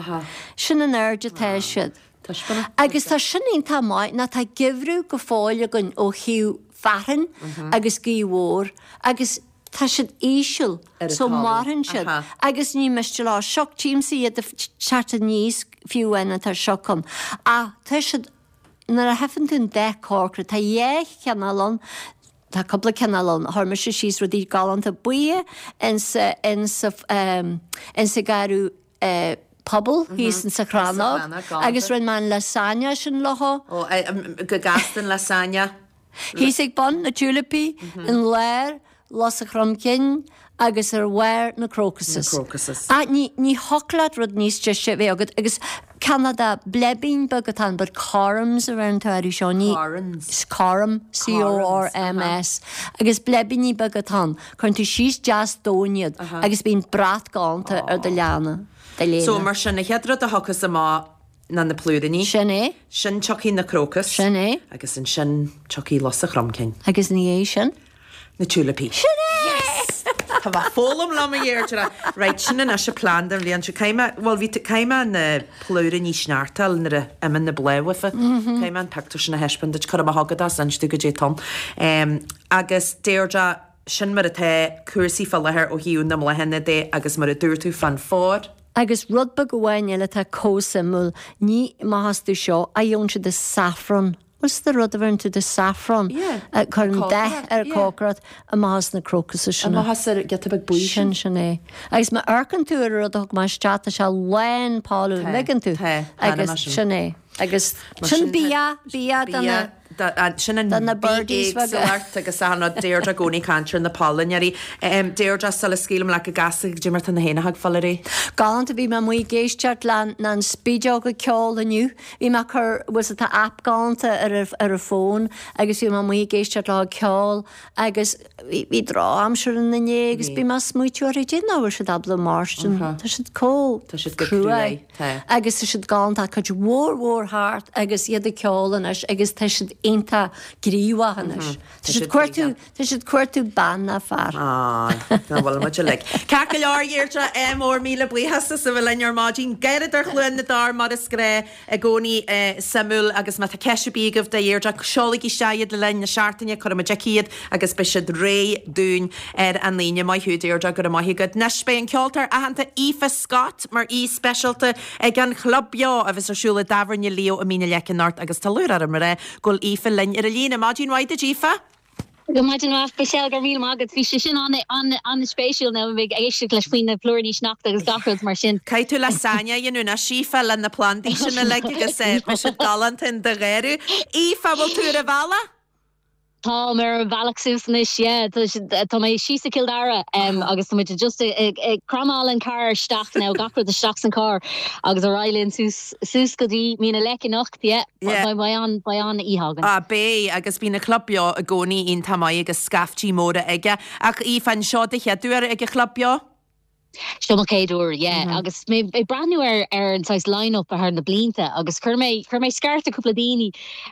Sin an airde atá siad. Taispeána. Agus tá sin iontach maith nó tá geimhreadh go fóill againn ó thaobh fearthainn agus gaoth mhór agus tá siad íseal so maireann siad agus ní miste leo sioc tímsa iad ag teacht aníos fiú amháin atá sioc ann ach tá siad nuair a tchíonn tú an dath corcra tá dhá chineál ann tá cúpla cineál ann chuir mise síos rudaí galánta buí insa insa insa garraí pobail thíos insa Chrannóg agus rinne mé an lasagne sin leo. Ó, go gasta an lasagne. Thíos ag bun na tiúilipí, in lár lus an chromchinn agus ar bharr na crocuses. Na crocuses. Ach ní ní thiocfadh leat rud níos deise a bheith agat agus cineál de bleibín beag atá ann but corms a bheireann tú orthu seo ní Corns. Corm, C-O-R-M-S agus bleibíní beaga atá ann. Cuireann tú síos deas domhain iad agus bíonn brat galánta ar do leanna, do léine. So mar sin, an chéad rud a thiocfas amach ná na plúiríní. Sin é. Sin tiocfaidh na crocus. Sin é. Agus ansin tiocfaidh lus an chromchinn. Agus ina dhiaidh sin? Na tiúilipí. Sin é! Yes! Tá mé ag foghlaim liom a Dheirdre. Right, sin anois an plean don bhliain seo. Caithfidh mé, bhuel bhí, caithfidh mé na plúiríní sneachta a fháil nuair a imíonn na blátha uafa. Caithfidh mé an pictiúr sin a thaispeáint duit, cuirfidh mé chugat as inis domh goidé atá ann. Agus Deirdre, sin mar atá cúrsaí fá láthair ó thaobh na mbláthanna de agus mar a dúirt tú fán phór. Agus rud beag amháin eile atá chomh suimiúil, ní maith as tú seo, a gheobhann siad de saffron. Bhfuil 's agat rud a bheireann tú de saffron, a chuireann dath ar cócaireacht, amach as na crocuses sin. Amach as ar giota beag buí sin. Sin, sin é. Agus má amharcann tú ar an rud a thug mé isteach, tá sé lán polladh, an dtuigeann tú? Tá, tá, Agus sin é. Agus sin bia, bia do na. Sin an Do na birdies beaga. bhi-éagsúlacht agus achan rud. Deirdre i gcónaí ag caint ar na pailneoirí. Deirdre, sula scaoilim leat go gasta, goidé mar tá na héanacha ag fáil ar aghaidh? Galánta, bhí mé amuigh ag éisteacht le an spideog ag ceol inniu. Bhí mé ag cur, bhfuil 's agat tá app galánta ar ar an fón agus bhí mé amuigh ag éisteacht leo ag ceol agus bhí bhí drochaimsir ann inné agus bhí mé ag smaoitiú orthu, cad é nach bhfuil siad ábalta mairstin, tá siad chomh Tá siad go cruaidh. cruaidh, tá. Agus tá siad galánta, cuid mhór mhór thart agus iad ag ceol anois agus tá siad iontach gníomhach anois. Tá siad cuartú, tá siad cuartú bean ná fear. Á, ná bhfuil muid uilig. Ceart go leor, a Dheirdre, ádh mór, míle buíochas as a bheith linn ar maidin. Garradóir Chluain na dTor mar is gnáth i gcónaí suimiúil agus má tá ceist ar bith agaibh do Dheirdre, seolaigí isteach iad le linn na seachtaine, cuirfidh muid aici iad agus beidh siad réidh dúinn ar an Aoine. Maith thú, Deirdre, go raibh maith agat. Anois beidh an ceoltóir aitheanta Aoife Scott mar aoi speisialta ag an Chlub Beo a bheas ar siúl i dTábhairne Leo i Mín na Leice anocht agus tá lúcháir orm a rá go bhfuil Aoife linn ar an líne. Maidin mhaith duit, Aoife! Go maidin mhaith, Michelle, go raibh míle maith agat. Bhí sé sin an-spéisiúil now ag éisteacht leis faoi na plúiríní sneachta agus gach rud mar sin. Caithfidh tú lasagne a dhéanamh anois, Aoife, le na plandaí sin uilig agus beidh siad galánta in do gharradh. Aoife, bhfuil tú ar an bhealach? Táim ar an bhealach suas anois, yeah. Tá mé síos i Cill Dara agus tá muid just ag cramáil an carr isteach now, gach rud isteach san carr agus ar aghaidh linn suas suas go dtí Mín na Leice anocht, yeah. Yeah. Beidh an, beidh an-oíche againn. Ah, beidh, agus bíonn an Club Beo i gcónaí iontach maith agus scaiftí móra aige. Ach Aoife, an seo do chéad uair ag an Chlub Beo? Seo mo chéad uair, yeah. Agus mé ag breathnú ar ar an saghas line-up thar na blianta agus chuir mé chuir mé scairt ar cúpla daoine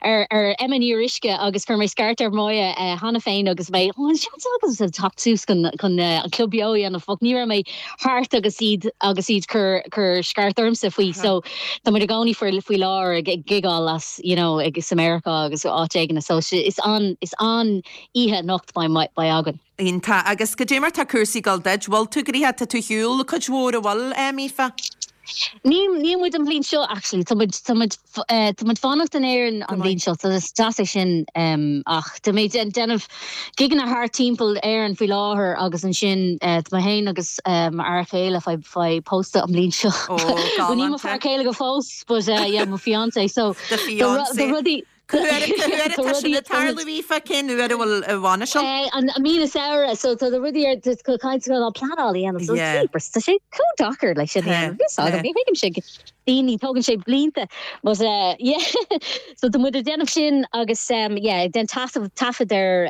ar ar Emma Ní Fhíoruisce agus chuir mé scairt ar Moya cheana féin agus mé oh an seans agamsa teacht suas chun chun an Club Beo a dhéanamh ach ní raibh mé thart agus iad agus iad cur cur scairt ormsa faoi so tá muid i gcónaí faoi faoi láthair ag ag gigeáil as you know ag sa Meiriceá agus áit éigin so is an is an oíche anocht beidh beidh againn. Iontach. Agus goidé mar tá cúrsaí ag dul duit? Bhfuil tú gnoitheach? Tá tú ar shiúl cuid mhór, an bhfuil, Aoife? Níl, níl muid an bhliain seo actually. Tá muid, tá muid, tá muid fanacht in Éirinn an bhliain seo, so is deas é sin ach tá mé ag déanamh gigeanna thart timpeall Éirinn faoi láthair agus ansin tá mé féin agus m'fhear chéile fá, fá pósta an bhliain seo. Ó, Well níl mo galánta. fear céile go fós but yeah, mo fiancé so Do tá fiancé. rudaí, Cá huair atá sin ag tarlú, Aoife? Cén uair a bhfuil an bhainis ann? An mí na samhradh, so tá rudaí ar tá caint á pleanáil a dhéanamh, so jeepers, tá sé chomh deacair leis sin a dhéanamh. Fios agam, ní thuigimse daoine, tógann sé blianta, but yeah, so tá muid ag déanamh sin agus yeah, ag déanamh taifead, taifead ar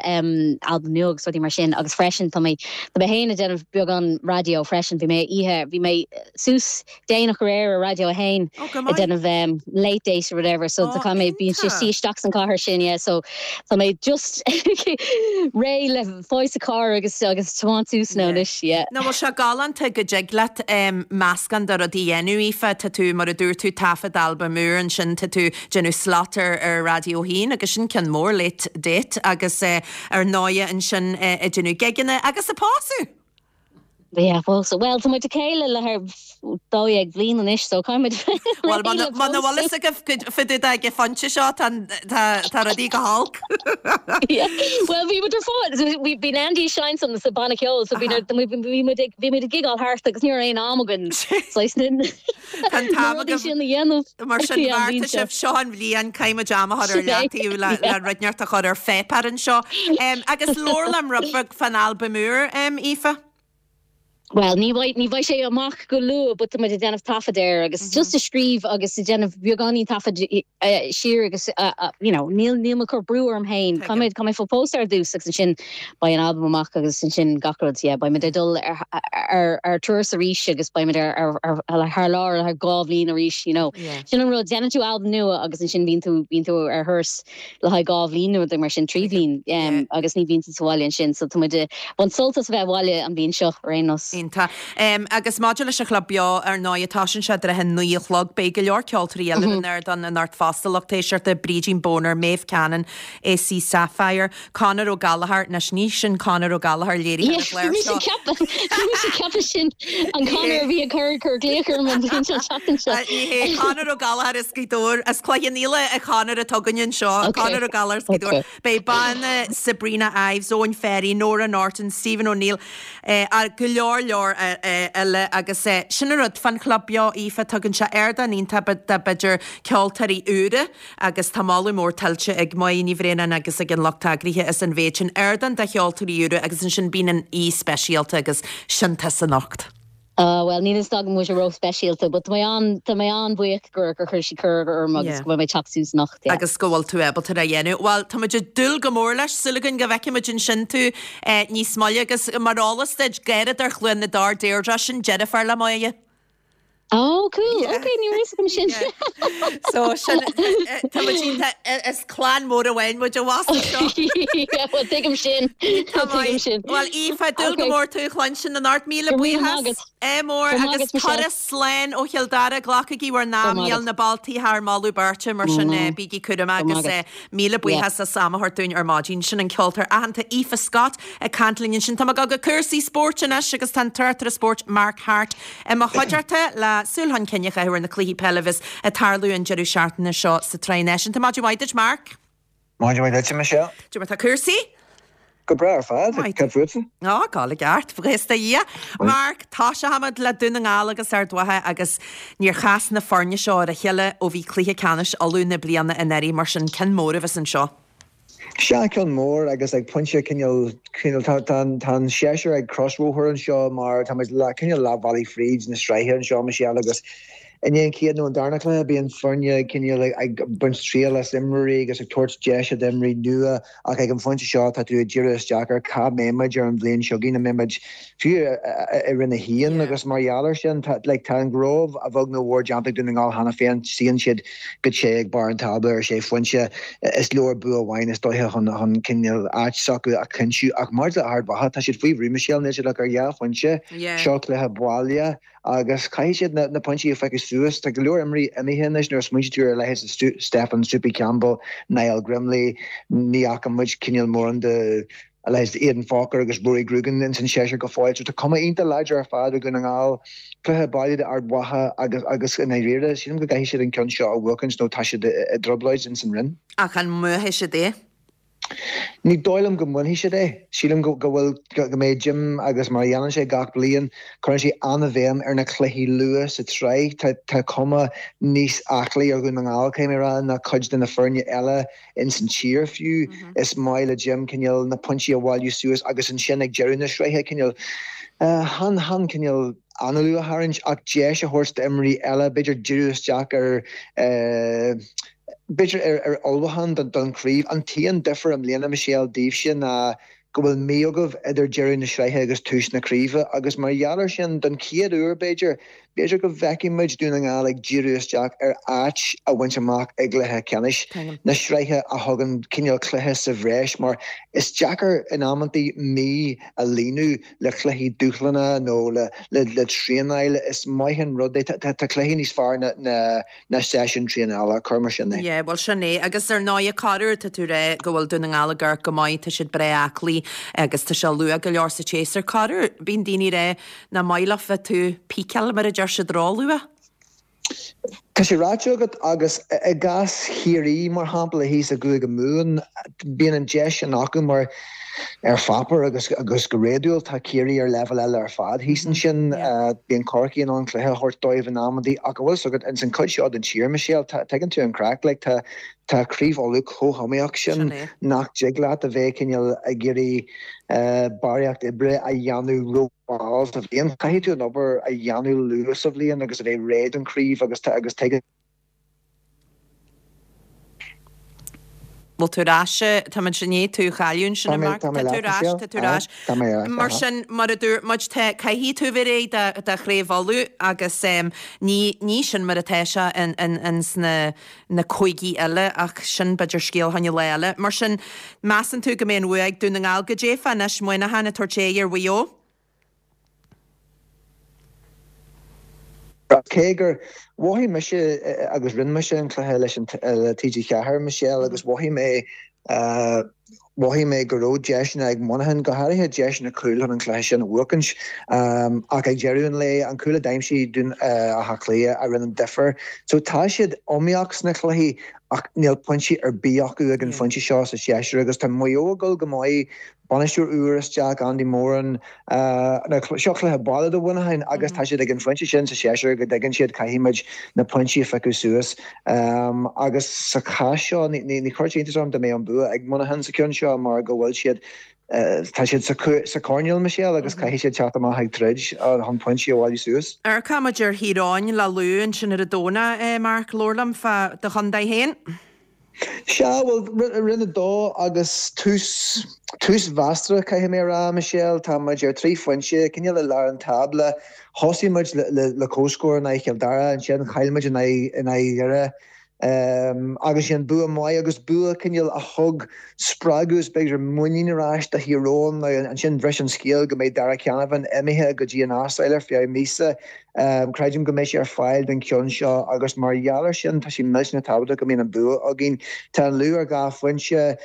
albam nua agus rudaí mar sin agus freisin tá mé, tá mé féin ag déanamh beagán raidió freisin, bhí mé oíche, bhí mé suas déanach aréir ar Raidió 1 ag déanamh late date or whatever so tá mé bíonn sé suí isteach san cathair sin yeah so tá mé just réidh le fáil sa carr agus agus tiomáint suas now anois yeah. Nó bhfuil sé galánta go dtig leat meascán de rudaí a dhéanamh Aoife, tá tú mar. mar a dúirt tú, taifead albam úr, ansin tá tú déanamh slot ar ar Raidió 1 agus sin ceann mór, Late Date, agus ar ndóighe ansin ag déanamh gigeanna agus ag pósadh! Yeah, pósadh. Bhuel, tá muid le chéile le thar 12 bhliain anois, so caithfidh muid Bhuel, muna bhfuil fhios agaibh fá dtaobh de ag an phointe seo, tá tá rudaí go holc. Yeah, bhuel, bhí muid ar fáil, bhí bhí Andy ag seinnt sa banna ceoil, so bhí bhí muid ag bhí muid ag gigeáil thart agus ní raibh aon am againn saghas na Tá an t-am rudaí sin a dhéanamh. Mar sin, bheartaigh sibh, seo an bhliain, caithfidh muid am a chur ar leataobh le le rud inteacht a chur ar pháipéar anseo. Agus labhair liom rud beag fán albam úr, Aoife. Bhuel, ní bheidh, ní bheidh sé amach go luath but tá muid ag déanamh taifead air agus just ag scríobh agus ag déanamh beagáinín taifead siar agus you know, níl, níl mé ag cur brú orm féin. Caithfidh mé, caithfidh mé fáil pósta ar dtús agus ansin beidh an albam amach agus ansin gach rud, yeah, beidh muid ag dul ar, ar, ar turas arís agus beidh muid ar, ar, ar, thar lear le dhá bhliain arís, you know. Yeah. Sin an rud, déanann tú albam nua agus ansin bíonn tú, bíonn tú ar thuras le haghaidh dhá bhliain nó mar sin, trí bhliain, um, agus ní bhíonn tú sa bhaile ansin, so tá muid ag baint sult as a bheith abhaile an bhliain seo ar aon nós. Iontach. Um, agus maidir leis an Chlub Beo, ar ndóigh, tosaíonn sé i dtrátha a naoi a chlog. Beidh go leor ceoltóirí eile ar an ardán anocht fosta, lucht éisteachta, Brídín Boner, Maeve Cannon, AC Sapphire, Conor Ó Gallchóir, anois ní sin Conor Ó Gallchóir léirithe ar an chlár seo. Bhí mise ag ceapadh sin an Conor a bhí ag cur cur glaoch orm an bhliain seo seachtain seo. Ní hé Conor Ó Gallchóir as Gaoth Dobhair, as Cloich Cheann Fhaola an Conor atá againn anseo, Conor Ó Gallchóir as Gaoth Dobhair. Beidh banna Sabrina Ives, Eoin Ferry, Nora Norton, Stephen O'Neill, go leor leor eile agus sin an rud fán Chlub Beo, Aoife, tugann sé ardán iontach do b'fhéidir ceoltóirí úra agus tá moladh mór tuillte ag Máire Ní Bhraonáin agus ag an lucht eagraithe as an mhéid sin ardán do cheoltóirí úra agus ansin bíonn an aoi speisialta agus sin tusa anocht. Ah bhuel níl fhios agam an bhfuil sé ró-speisialta but tá mé an, tá mé an-bhuíoch gur gur chuir siad cuireadh orm agus go bhfuil mé ag teacht suas anocht, yeah. Agus go bhfuil tú ábalta é a dhéanamh. Bhuel, tá muid ag dúil go mór leis, súil againn go bhfeicfidh muid ansin tú níos moille agus mar eolas duit, Garradóir Chluain na dTor, Deirdre, sin deirfiúr le Máire. Oh cool, ok, ní raibh fhios agam sin. So sin, tá muid iontach, is clann mór amháin muid abhus anseo. Yeah, well tuigim sin, tuigim sin. Bhuel Aoife, dúil go mór tú a chluinstin anocht, míle buíochas. Ádh mór agus turas slán ó Chill Dara, glacaigí bhur n-am, níl na bealtaí thar moladh beirte mar sin bígí cúramach agus míle buíochas as am a thabhairt dúinn ar maidin. Sin an ceoltóir aitheanta Aoife Scott ag caint linn ansin. Tá muid ag dul go cúrsaí spóirt anois agus tá an tráchtaire spóirt Mark Harte I mo chuideachta le súil chun cinn a chaitheamh ar na cluichí peile a bheas ag tarlú an deireadh seachtaine seo sa tSraith Náisiúnta. Maidin mhaith duit, Mark. Maidin mhaith duit, a Michelle. Cad é mar tá cúrsaí? Go breá ar fad. Cad fútsa? Á, ag gabháil i gceart, buíochas do Dhia. Mark, toiseochaimid le Dún na nGall agus Ard Mhacha agus níor chas na foirne seo ar a chéile ó bhí cluiche ceannais Uladh na bliana anuraidh, mar sin ceann mór a bheas anseo. Sea, ceann mór agus ag pointe cineál, cineál, tá, tá an, tá an séasúr ag crosbhóthar anseo mar tá muid le, cineál leath bhealaigh fríd na sraithe anseo, Michelle, agus i ndiaidh an chéad nó an darna cluiche bíonn foirne cineál ag, ag baint triail as imreoirí agus ag tabhairt deise d'imreoirí nua ach ag an phointe seo tá tú ag díriú isteach ar cá mbeidh muid ar an bhliain seo chugainn, an mbeidh muid fiú i Roinn 1 agus mar gheall air sin tá, like, tá an gnó a bheag nó a mhór déanta ag Dún na nGall cheana féin, suíonn siad go te ag barr an tábla ar sé phointe. Is leor bua amháin is dóiche chun chun cineál áit s'acu a chinntiú. Ach maidir le Ard Mhacha, tá siad faoi bhrú, Michelle, níl siad ach ar dhá phointe. Seo cluiche baile agus caithfidh siad na pointí a phiocadh suas. Tá go leor imreoirí imithe anois nuair a smaointíonn tú ar a leithéid de Stefan Soupy Campbell, Niall Grimley, ní fhaca muid cineál mórán de a leithéid de Aidan Forker agus Rory Grugan ins an seisear go fóill. So tá cuma iontach láidir ar fad ar Dhún na nGall. Cluiche baile d'Ard Mhacha agus agus i ndáiríre, sílim go gcaithfidh siad an ceann seo a bhuachaint nó tá siad i dtrioblóid ins an Rinn. Ach an mbuafaidh siad é? Ní dóigh liom go mbainfidh siad é. Sílim go go bhfuil go mbeidh Jim agus mar a dhéanann sé gach bliain, cuireann sé an-bhéim ar na cluichí luath sa tsraith. Tá tá cuma níos aclaí ar Dhún na nGall, caithfidh mé a rá, ná cuid de na foirne eile. ins an tír fiú. Is maith le Jim cineál na pointí a bhailiú suas agus ansin ag deireadh na sraithe cineál chan chan cineál análú a tharraingt ach deis a thabhairt d'imreoirí eile b'fhéidir díriú isteach ar b'fhéidir ar ar ullmhúchán don chraobh. An t-aon difear i mbliana Michelle daoibhse ná go bhfuil mí agaibh idir deireadh na sraithe agus tús na craoibhe agus mar gheall ar sin don chéad uair b'fhéidir. b'fhéidir go bhfeicfidh muid Dún na nGall ag díriú isteach ar áit a bhaint amach i gcluiche ceannais na sraithe a thugann cineál cluiche sa bhreis mar is deacair in amantaí mí a líonadh le cluichí dúshlánacha nó le traenáil. Is maith an rud é. Tá cluichí níos fearr ná na seisiúin traenála, cuir mar sin é. Yeah, bhuel sin é. Agus ar ndóigh, corruair tá tú ag rá go bhfuil Dún na nGall ag amharc go maith, tá siad breá aclaí agus tá sé luath go leor sa tséasúr. Corruair, bíonn daoine ag rá nach maith leofa bheith tú peakáil mar a deir siad róluath. Tá sé ráite agat agus i gcás Chiarraí mar shampla thíos i gCúige Mumhan, bíonn an deis sin acu mar Ar pháipéar agus agus go réadúil tá Ciarraí ar leibhéal eile ar fad thíos ansin. Bíonn Corcaigh in ann cluiche a thabhairt dóibh in amantaí ach an bhfuil 'fhios agat, ins an chuid seo den tír, Michelle, tá, tuigeann tú an craic, like, tá, tá Craobh Uladh chomh hiomaíoch sin nach dtig leat a bheith cineál ag iarraidh barraíocht oibre a dhéanamh ró-mhall sa bhliain. Caithfidh tú an obair a dhéanamh luath sa bhliain agus a bheith réidh don chraobh agus tá, agus tuigeann. Bhfuil tú ar ais? Táimid i ndiaidh tú a chailleadh ansin, a Mark. Tá tú ar ais, tá tú ar ais. Tá mé ar ais. Mar sin, mar a dúirt muid, tá, caithfidh tú bheith réidh do, do Chraobh Uladh agus ní, ní sin mar atá sé in, in, in sna, na cúigí eile ach sin b'fhéidir scéal fá choinne lá eile. Mar sin, measann tú go mbeidh an bhua ag Dún na nGall? Goidé fá anois Muineachán ag tabhairt aghaidh ar Mhaigh Eo? Cé gur mhothaigh mise agus rinne mise an cluiche leis an le TG4, Michelle, agus mhothaigh mé mhothaigh mé go raibh deiseanna ag Muineachán, go háirithe deiseanna cúil chun an cluiche sin a bhuachaint. Ach ag deireadh an lae, an cúl a d'aimsigh Dún Átha Cliath a rinne an difear. So tá siad iomaíoch sna cluichí ach níl pointí ar bith acu ag an phointe seo sa séasúr agus tá Maigh Eo ag dul go maith Bainisteoir úr isteach, Andy Moran. Seo cluiche baile do Mhuineachán agus tá siad ag an phointe sin sa séasúr go dtuigeann siad caithfidh muid na pointí a phiocadh suas. Agus sa chás seo ní chuirfeadh sé iontas orm dá mbeadh an bua ag Muineachán sa cheann seo mar go bhfuil siad, tá siad sa choirnéal, Michelle, agus caithfidh siad teacht amach ag troid chun pointí a bhailiú suas. Amharcfaidh muid ar Thír Eoghain le Lú ansin ar an Domhnach, Mark, labhair liom fá do chontae féin. Sea, bhuel, Roinn 2 agus tús, tús mheasartha, caithfidh mé a rá, Michelle. Tá muid ar thrí phointe, cineál i lár an tábla. Thosaigh muid le comhscór in aghaidh Chill Dara, ansin chaill muid in aghaidh, in aghaidh Dhoire. Agus sin bua maith agus bua cineál a thug spreagadh is b'fhéidir muinín ar ais do Thír Eoghain. Now ansin bhris an scéal go mbeidh Darragh Canavan imithe go dtí an Astráil ar feadh míosa. Creidim go mbeidh sé ar fáil don cheann seo agus mar gheall air sin tá sé millteanach tábhachtach go mbíonn an bua againn. Tá an Lú ar dhá phointe.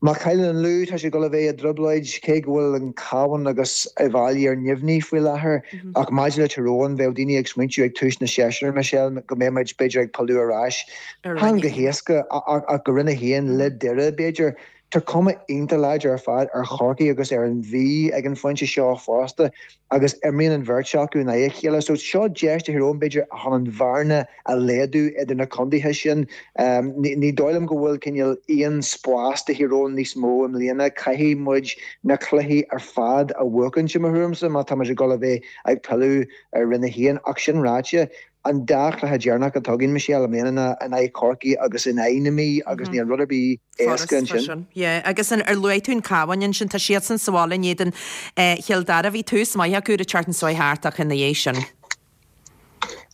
Má chailleann an Lú tá sé ag dul a bheith i dtrioblóid, cé go bhfuil an Cabhán agus Uíbh Fhailí ar neamhní faoi láthair. Ach maidir le Tír Eoghain, bheadh daoine ag smaointiú ag tús na séasúir, Michelle, go mbeidh muid b'fhéidir ag pilleadh ar ais, chan go héasca ach go Roinn 1 le Doire b'fhéidir. Tá cuma iontach láidir ar fad ar Chorcaigh agus ar an Mhí ag an phointe seo fosta agus imríonn an bheirt acu in aghaidh a chéile. So seo deis do Thír Eoghain b'fhéidir chun an bhearna a laghdú idir na contaetha sin. Ní dóigh liom go bhfuil cineál aon spás do Thír Eoghain níos mó i mbliana. Caithfidh muid na cluichí ar fad a bhuachaint i mo thuairimse má tá muid ag dul a bheith ag pilleadh ar Roinn 1. Ach sin ráite, An dá chluiche deireanach atá againn, Michelle, i mbliana ná in aghaidh Chorcaí agus in aghaidh na Mí agus níl rud ar bith éasca ansin. Yeah, agus ar luaigh tú an Cabhán ansin, tá siadsan sa bhaile in éadan Chill Dara. Bhí tús maith acu an tseachtain seo thart ach ina dhiaidh sin.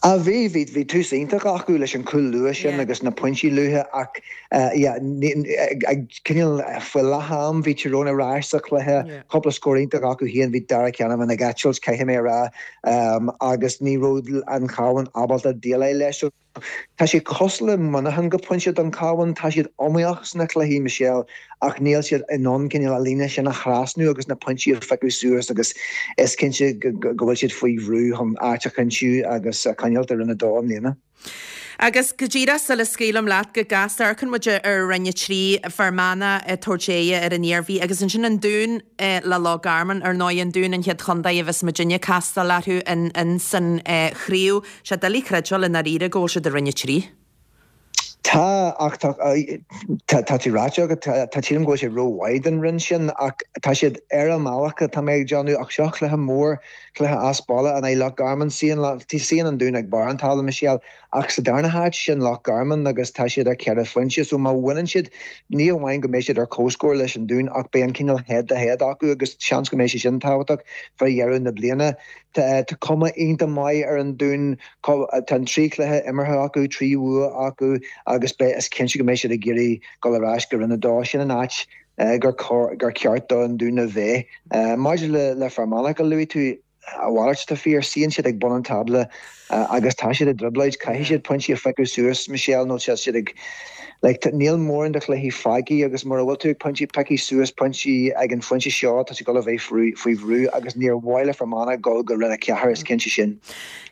Ah bhí, bhí, bhí tús iontach acu leis an chúl luath sin agus na pointí luatha ach yeah, ag cineál faoi leath am bhí Tír Eoghain ar ais sa chluiche, cúpla scór iontach acu féin, bhí Darragh Canavan ag eitilt, caithfidh mé a rá. agus ní raibh an Cabhán ábalta déileáil leis. So tá sé cosúil le Muineachán go pointe don Chabhán, tá siad iomaíoch sna cluichí, Michelle, ach níl siad in ann cineál an líne sin a thrasnú agus na pointí a phiocadh suas agus is cinnte go bhfuil siad faoi bhrú chun áit a chinntiú agus a choinneáilt i Roinn 2 i mbliana. Agus go díreach sula scaoilim leat go gasta, amharcann muid ar Roinn 3, Fear Manach ag tabhairt aghaidhe ar an Iarmhí agus ansin an Dún le Loch Garman. Ar ndóigh, an Dún an chéad chontae a bheas muidinne ag castáil orthu in san chraobh. Sé doiligh creidbheáil i ndáiríre go bhfuil siad i Roinn 3. Tá, ach tá, tá tú ráite agat, tá, sílim go bhfuil siad rómhaith don roinn sin ach tá siad ar a mbealach, tá mé ag déanamh, ach seo cluiche mór, cluiche as baile in aghaidh Loch Garman. Suíonn, suíonn an Dún ag barr an tábla, Michelle, ach sa darna háit, sin Loch Garman agus tá siad ar cheithre phointe so má bhaineann siad, ní amháin go mbeidh siad ar comhscór leis an Dún ach beidh an cineál head to head acu agus seans go mbeidh sé sin tábhachtach fá dheireadh na bliana. Tá cuma iontach maith ar an Dún, tá an 3 chluiche imeartha acu, 3 bhua acu agus beidh, is cinnte go mbeidh siad ag iarraidh dul ar ais go Roinn 2. Sin an áit gur ceart don Dún a bheith. Maidir le Fear Manach a luaigh tú, A mhalairt atá fíor, suíonn siad ag bun an tábla agus tá siad i dtrioblóid. Caithfidh siad pointí a phiocadh suas, Michelle, nó tá siad ag, like, níl mórán de chluichí fágtha agus mura bhfuil tú ag pointí, piocadh suas pointí ag an phointe seo, tá tú ag dul a bheith faoi bhrú agus níor mhaith le Fear Manach dul go Roinn 4, is cinnte sin.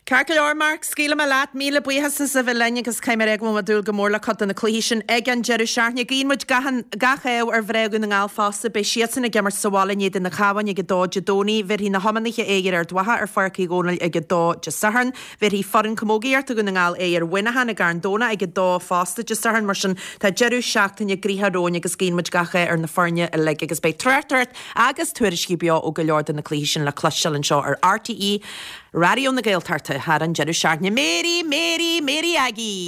Ceart go leor, Mark, scaoilfidh mé leat. Míle buíochas as a bheith linn agus caithfidh mé a rá go bhfuil mé ag dúil go mór le cuid de na cluichí sin ag an deireadh seachtaine. Guíonn muid gach gach ádh ar mhná Dhún na nGall fosta. Beidh siadsan ag imirt sa bhaile in éadan an Chabháin ag a dó Dé Domhnaigh. Bhéarfaidh na hiománaithe aghaidh ar Ard Mhacha ar Pháirc Uí Dhónaill ag a dó Dé Sathairn. Bhéarfaidh foireann camógaíochta Dhún na nGall aghaidh ar Mhuineachán i gCarn Domhnach ag a dó fosta Dé Sathairn. Mar sin tá deireadh seachtaine gnoitheach romhainn agus guíonn muid gach ádh ar na foirne uilig agus beidh tráchtaireacht agus tuairiscí beo ó go leor de na cluichí sin le cloisteáil anseo ar RTÉ Raidió na Gaeltachta thar an deireadh seachtaine. Mary, Mary, Mary Aggie!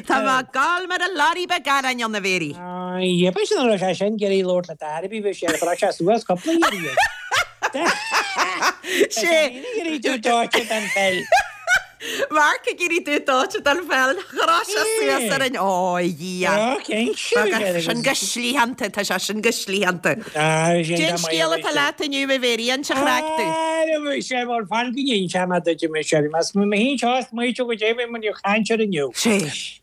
Tá mé ag gol mar a lorry beag aráin ann, a Mhary. B'fhéidir sin an raibh sé sin ag iarraidh labhairt le Darby, bhí sé ag brath sé suas cúpla iarraidh. Sé. Ag iarraidh dúch dóite den pheil. Mark ag iarraidh dúch dóite den pheil. Chroith sé suas ar an Ó, a Dhia. Ó, cinnte. Sin go slítheánta, tá sé sin go slítheánta. Cén scéal atá leat inniu, a Mhéirí, inis an chraic dúinn. Á, bhí sé mar fan go n-inseoidh mé duit, a Michelle. Más mé féin seo is smaoitiú go dté mé muid ag caint air inniu. Sé.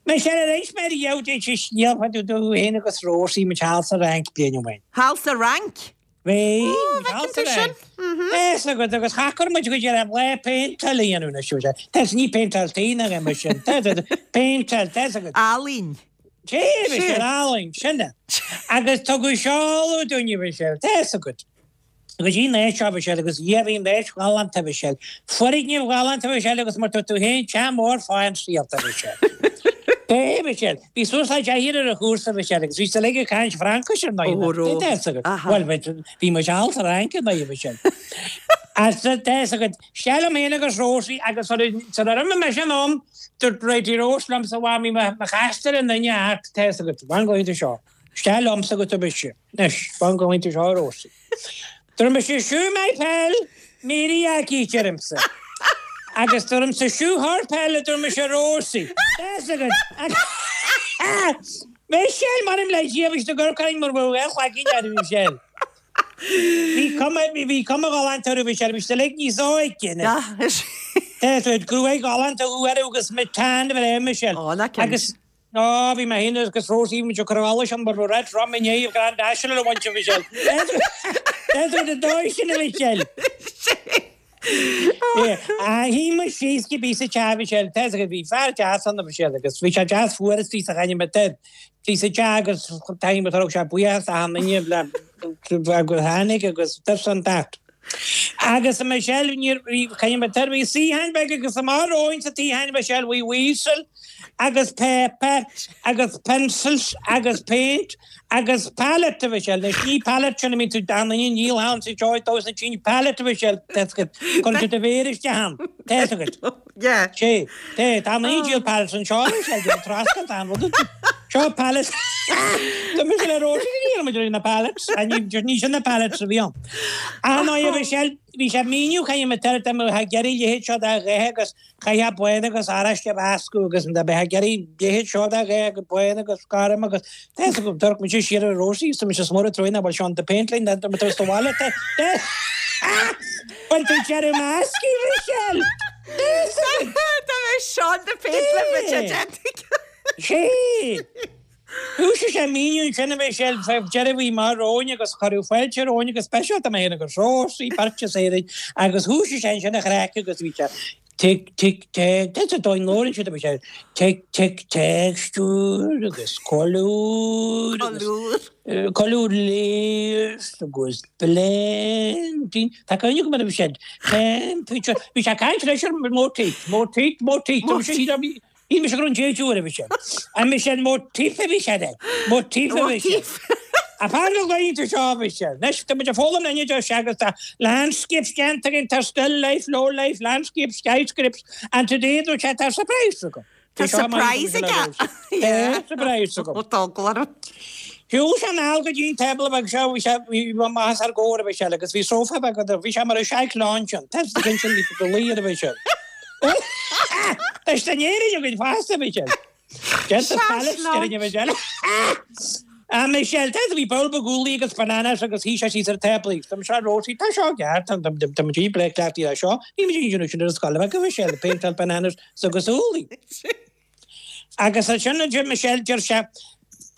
Michelle, ar inis mé riamh duit an scéal fá dtaobh dúinn féin agus Rósaí, muid thall sa Fhrainc bliain ó shin. Thall sa Fhrainc? Bhí, Ó, bhfeiceann tú sin. Fhios agat, agus cha chuir muid go dtí raibh lá péinteáil a dhéanamh anois, bhí sé, tá ní péinteáil tí ná aon rud sin, tá, tá, péinteáil, tá fhios agat. Ealaín. Sé, bhí sé ealaín, sin é. Agus tugadh seoladh dúinn, bhí sé, tá fhios agat. Go dtí an áit seo, bhí sé, agus dhia, bhí an áit ghalánta, bhí sé, foirgneamh ghalánta, bhí sé, agus mar tá tú féin, teach mór fáin saolta, bhí sé. Bhí, bhí sé. Bhí suas le deichniúr ar an chúrsa, bhí sé, agus bhí siad uilig ag caint Fraincis ar ndóigh. Ó, ró. Tá fhios agat. Bhuel, bhí muid thall sa Fhrainc ar ndóigh, bhí sé. As, tá fhios agat, isteach liom féin agus Rosie agus sar ar imigh mise anonn, dúirt Bridie Rose liomsa, a mhamaí, mo chastar i nduine art, tá fhios agat, fan go bhfaighidh tú seo. Isteach liomsa agus dúirt mise, anois, fan go bhfaighidh tú seo, a Rosie. Dúirt mise, Shoo my pal, Mary Aggie, deirimse. Agus deirimse, Shoo her pal, a dúirt mise, Rosie. Tá fhios agat. Michelle, m'anam le Dia, bhí siad ag amharc orainn mar bheadh aon chlaicín orthu, Michelle. Bhí cuma, bhí cuma ghalánta orthu, Michelle, bhí siad uilig níos óige anois. Tá fhios agat, gruaig ghalánta orthu agus muid tan bhreá, Michelle. Ó, ná cinnte. Agus Á, bhí mé féin agus Rosie, bhí muid ag cur allais ann mar bheadh Red Rum i ndiaidh Grand National a bhaint, a Mhichelle. That's what the dóigh sin, a Mhichelle. Shuigh muid síos cibé sa teach, a Mhichelle. Tá fhios agat, bhí fear deas ann, a Mhichelle, agus bhí sé deas fuar istigh sa chainne, bhí sa teach agus thaithin muid, thug sé buíochas d'achan duine le go tháinig agus this and that. Agus a Michelle, níor, bhí, caithfidh mé tar, bhí suíochán beag agus amach romhainn sa tsuíochán, a Michelle, bhí easel agus paper agus pencils agus paint agus palette, a Michelle. Anois ní palette sin a mbíonn tú d'achan duine, níl ann sa teoigh dó sna tine, palette, a Michelle, tá fhios agat, cuireann tú do mhéar isteach ann, tá fhios agat. Yeah. Sé, té, tá an díol pallets anseo anois, ag an trasna, tá an rud Seo pallets. Tá mise le Róisín ní raibh muid ar na pallets, ní sin na pallets a bhí ann. Ach ná bhí sé bhí sé míniú chaithfidh mé tar tá mé ag iarraidh leithéid seo de dhath agus chaithfeá bán agus oráiste a mheascadh agus dá mbeifeá ag iarraidh leithéid seo de dhath agus bán agus gorm agus tá fhios agam d'amharc mise siar ar Róisín is tá mise smór ag troid ná bhfuil Seán de Paint linn tá mé tar sa bhaile tá Bhain tú deireadh measctha, Michelle! Tá mé Seán de Paint le bhí sé Sé! Thoisigh sé míniú ansin a Michelle, fé deireadh bhí maith romhainn agus cuireadh fáilte romhainn go speisialta mé féin agus Rósaí, beirt as Éirinn, agus thoisigh sé ansin a chraic agus bhí sé tic tic tic, tá sa dóigh labhrann siad a Michelle, tic tic texture agus colúr agus colúr layers agus blending, tá cuimhne agam ar a bhí sé temperature, bhí sé ag caint leis ar motif, motif, motif, bhí sé Shíl mise go raibh an déid uair a bhí sé. An bhí sé motif a bhí sé de. Motif a bhí sé. A fear na laethanta seo a bhí sé. Anois tá muid ag foghlaim linn idir sé agus tá landscapes déanta againn, tá still life, low life, landscapes, skyscrapes and today dúirt sé tá surprise agam. Tá surprise aige. Tá surprise agam. Tá eagla orm. Shiúil sé anall go dtí an tábla beag seo, bhí sé, bhí amach os ár gcomhair, a Mhichelle, agus bhí sófá beag ann, bhí sé mar a chaise lounge ann, tá a fhios agat ansin, bhí luí air, a Mhichelle. Tá sé in Éirinn againn fosta, a Mhichelle. Déanta Palace, déarfainn, a Mhichelle. A Michelle, tá bhí bowl beag úllaí agus bananas agus shuigh sé síos ar an tábla agus tá seo Rosie, tá seo ceart, tá tá muid breá cleachtaithe le seo, ní muid ag déanamh sin ar an scoil bheag, a Mhichelle, péinteáil bananas agus úllaí. Agus ansin a deir Michelle, deir sé,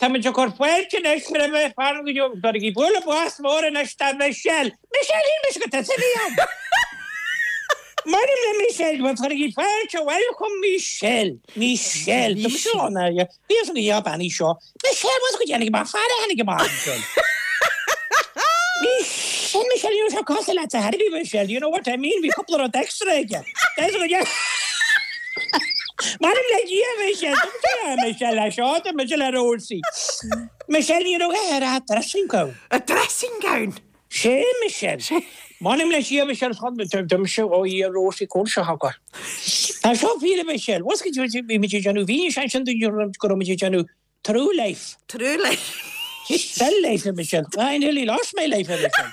Tá muid ag cur fáilte anois roimh fear go deo, cuirigí bualadh bos mór anois do Michelle. Michelle, shíl mise gur tusa a bhí ann. M'anam le Michelle, bhuel cuirigí fáilte, welcome Michelle, Michelle. Tá mise ann, a bhí fhios agam go bean í seo. Michelle, bhuel go dtháinig amach fear a tháinig amach ansin. Michelle, Michelle, ní raibh sé cosúil leat ar bith, Michelle, you know what I mean, bhí cúpla rud extra aige. There's go deo. M'anam le Dia, Michelle, tá Michelle le seo, tá Michelle le Rosie. Michelle, ní raibh air a dressing gown. A dressing gown? Sé, Michelle. M'anam le Dia, Michelle, tá mise ó Dhia Rosie cúl seo agat. Tá seo fíor, Michelle. Bhfuil a fhios agat, bhí muid ag déanamh, bhí ansin go raibh muid ag déanamh True life. True life. Still life, a Michelle. I nearly lost my life, a Michelle.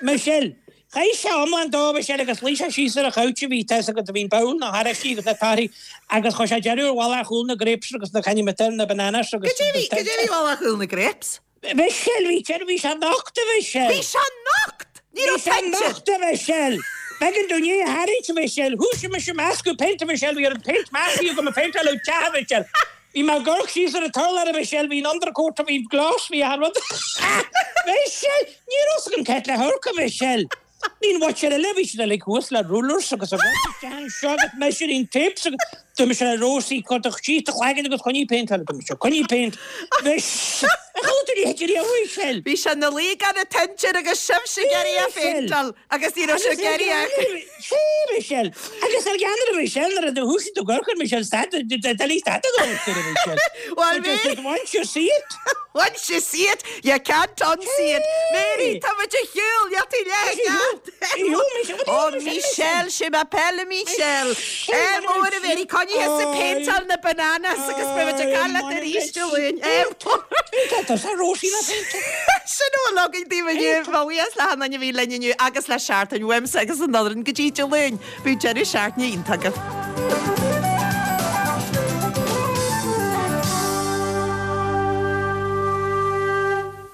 Michelle, Chaith sé iomlán dó, a Michelle, agus luigh sé síos ar an chouch a bhí, tá fhios agat, a bhí an bowl, na horáistí agus na torthaí agus chuir sé deireadh ar mhullach úll na grapes agus na canny na bananas agus. Goidé bhí, goidé bhí mhullach úll na grapes? Michelle, bhí sé, bhí sé nocht, a Mhichelle. Bhí sé nocht! Ní raibh Bhí sé nocht, a Mhichelle. B'éigean dúinn é a tharraingt, a Mhichelle. Thoisigh mise ag meascadh péint, a Mhichelle, bhí an péint measctha agam ag péinteáil an teach, a Mhichelle. Bhí mé ag amharc síos ar an t-urlár, a Mhichelle, bhí an undercoat, bhí gloss, bhí achan rud. Michelle! Ní raibh fhios agam cad le hamharc, a Mhichelle. Bhí an mhuintir eile, bhí siad uilig thuas le rulers agus a rud isteach anseo agus measuring tapes agus dúirt mise le Rosie, cuir do síos do chlaigeann agus coinnigh péinteáil, dúirt mise, coinnigh péint. Bhí, ar chuala tú ní hidir a Mhichelle? Bhí sé ina luí gan an t-intir agus sibhse ag iarraidh é phéinteáil agus ní raibh sé ag iarraidh é. Sé, Michelle. Agus ar ghean ar Michelle nuair a do thoisigh tú ag amharc ar Michelle stad, doiligh stad a amharc ar Michelle. Well, Mary. Once you see it. Once you see it, you can't unsee it. Mary, tá muid ar shiúl, níl tú leath ceart. Ó, Michelle, sé ma pelle Michelle. Ádh mór a Mary, coinnigh thusa ag péinteáil na bananas agus beidh muid ag caint leat arís Dé Luain. Tá Rosie na péinteáil. Sin a bhfuil againn daoibh inniu. Mo bhuíochas le hachan duine a bhí linn inniu agus le seachtain uaimse agus an fhoireann go dtí Dé Luain. Bíodh deireadh seachtaine iontach agaibh.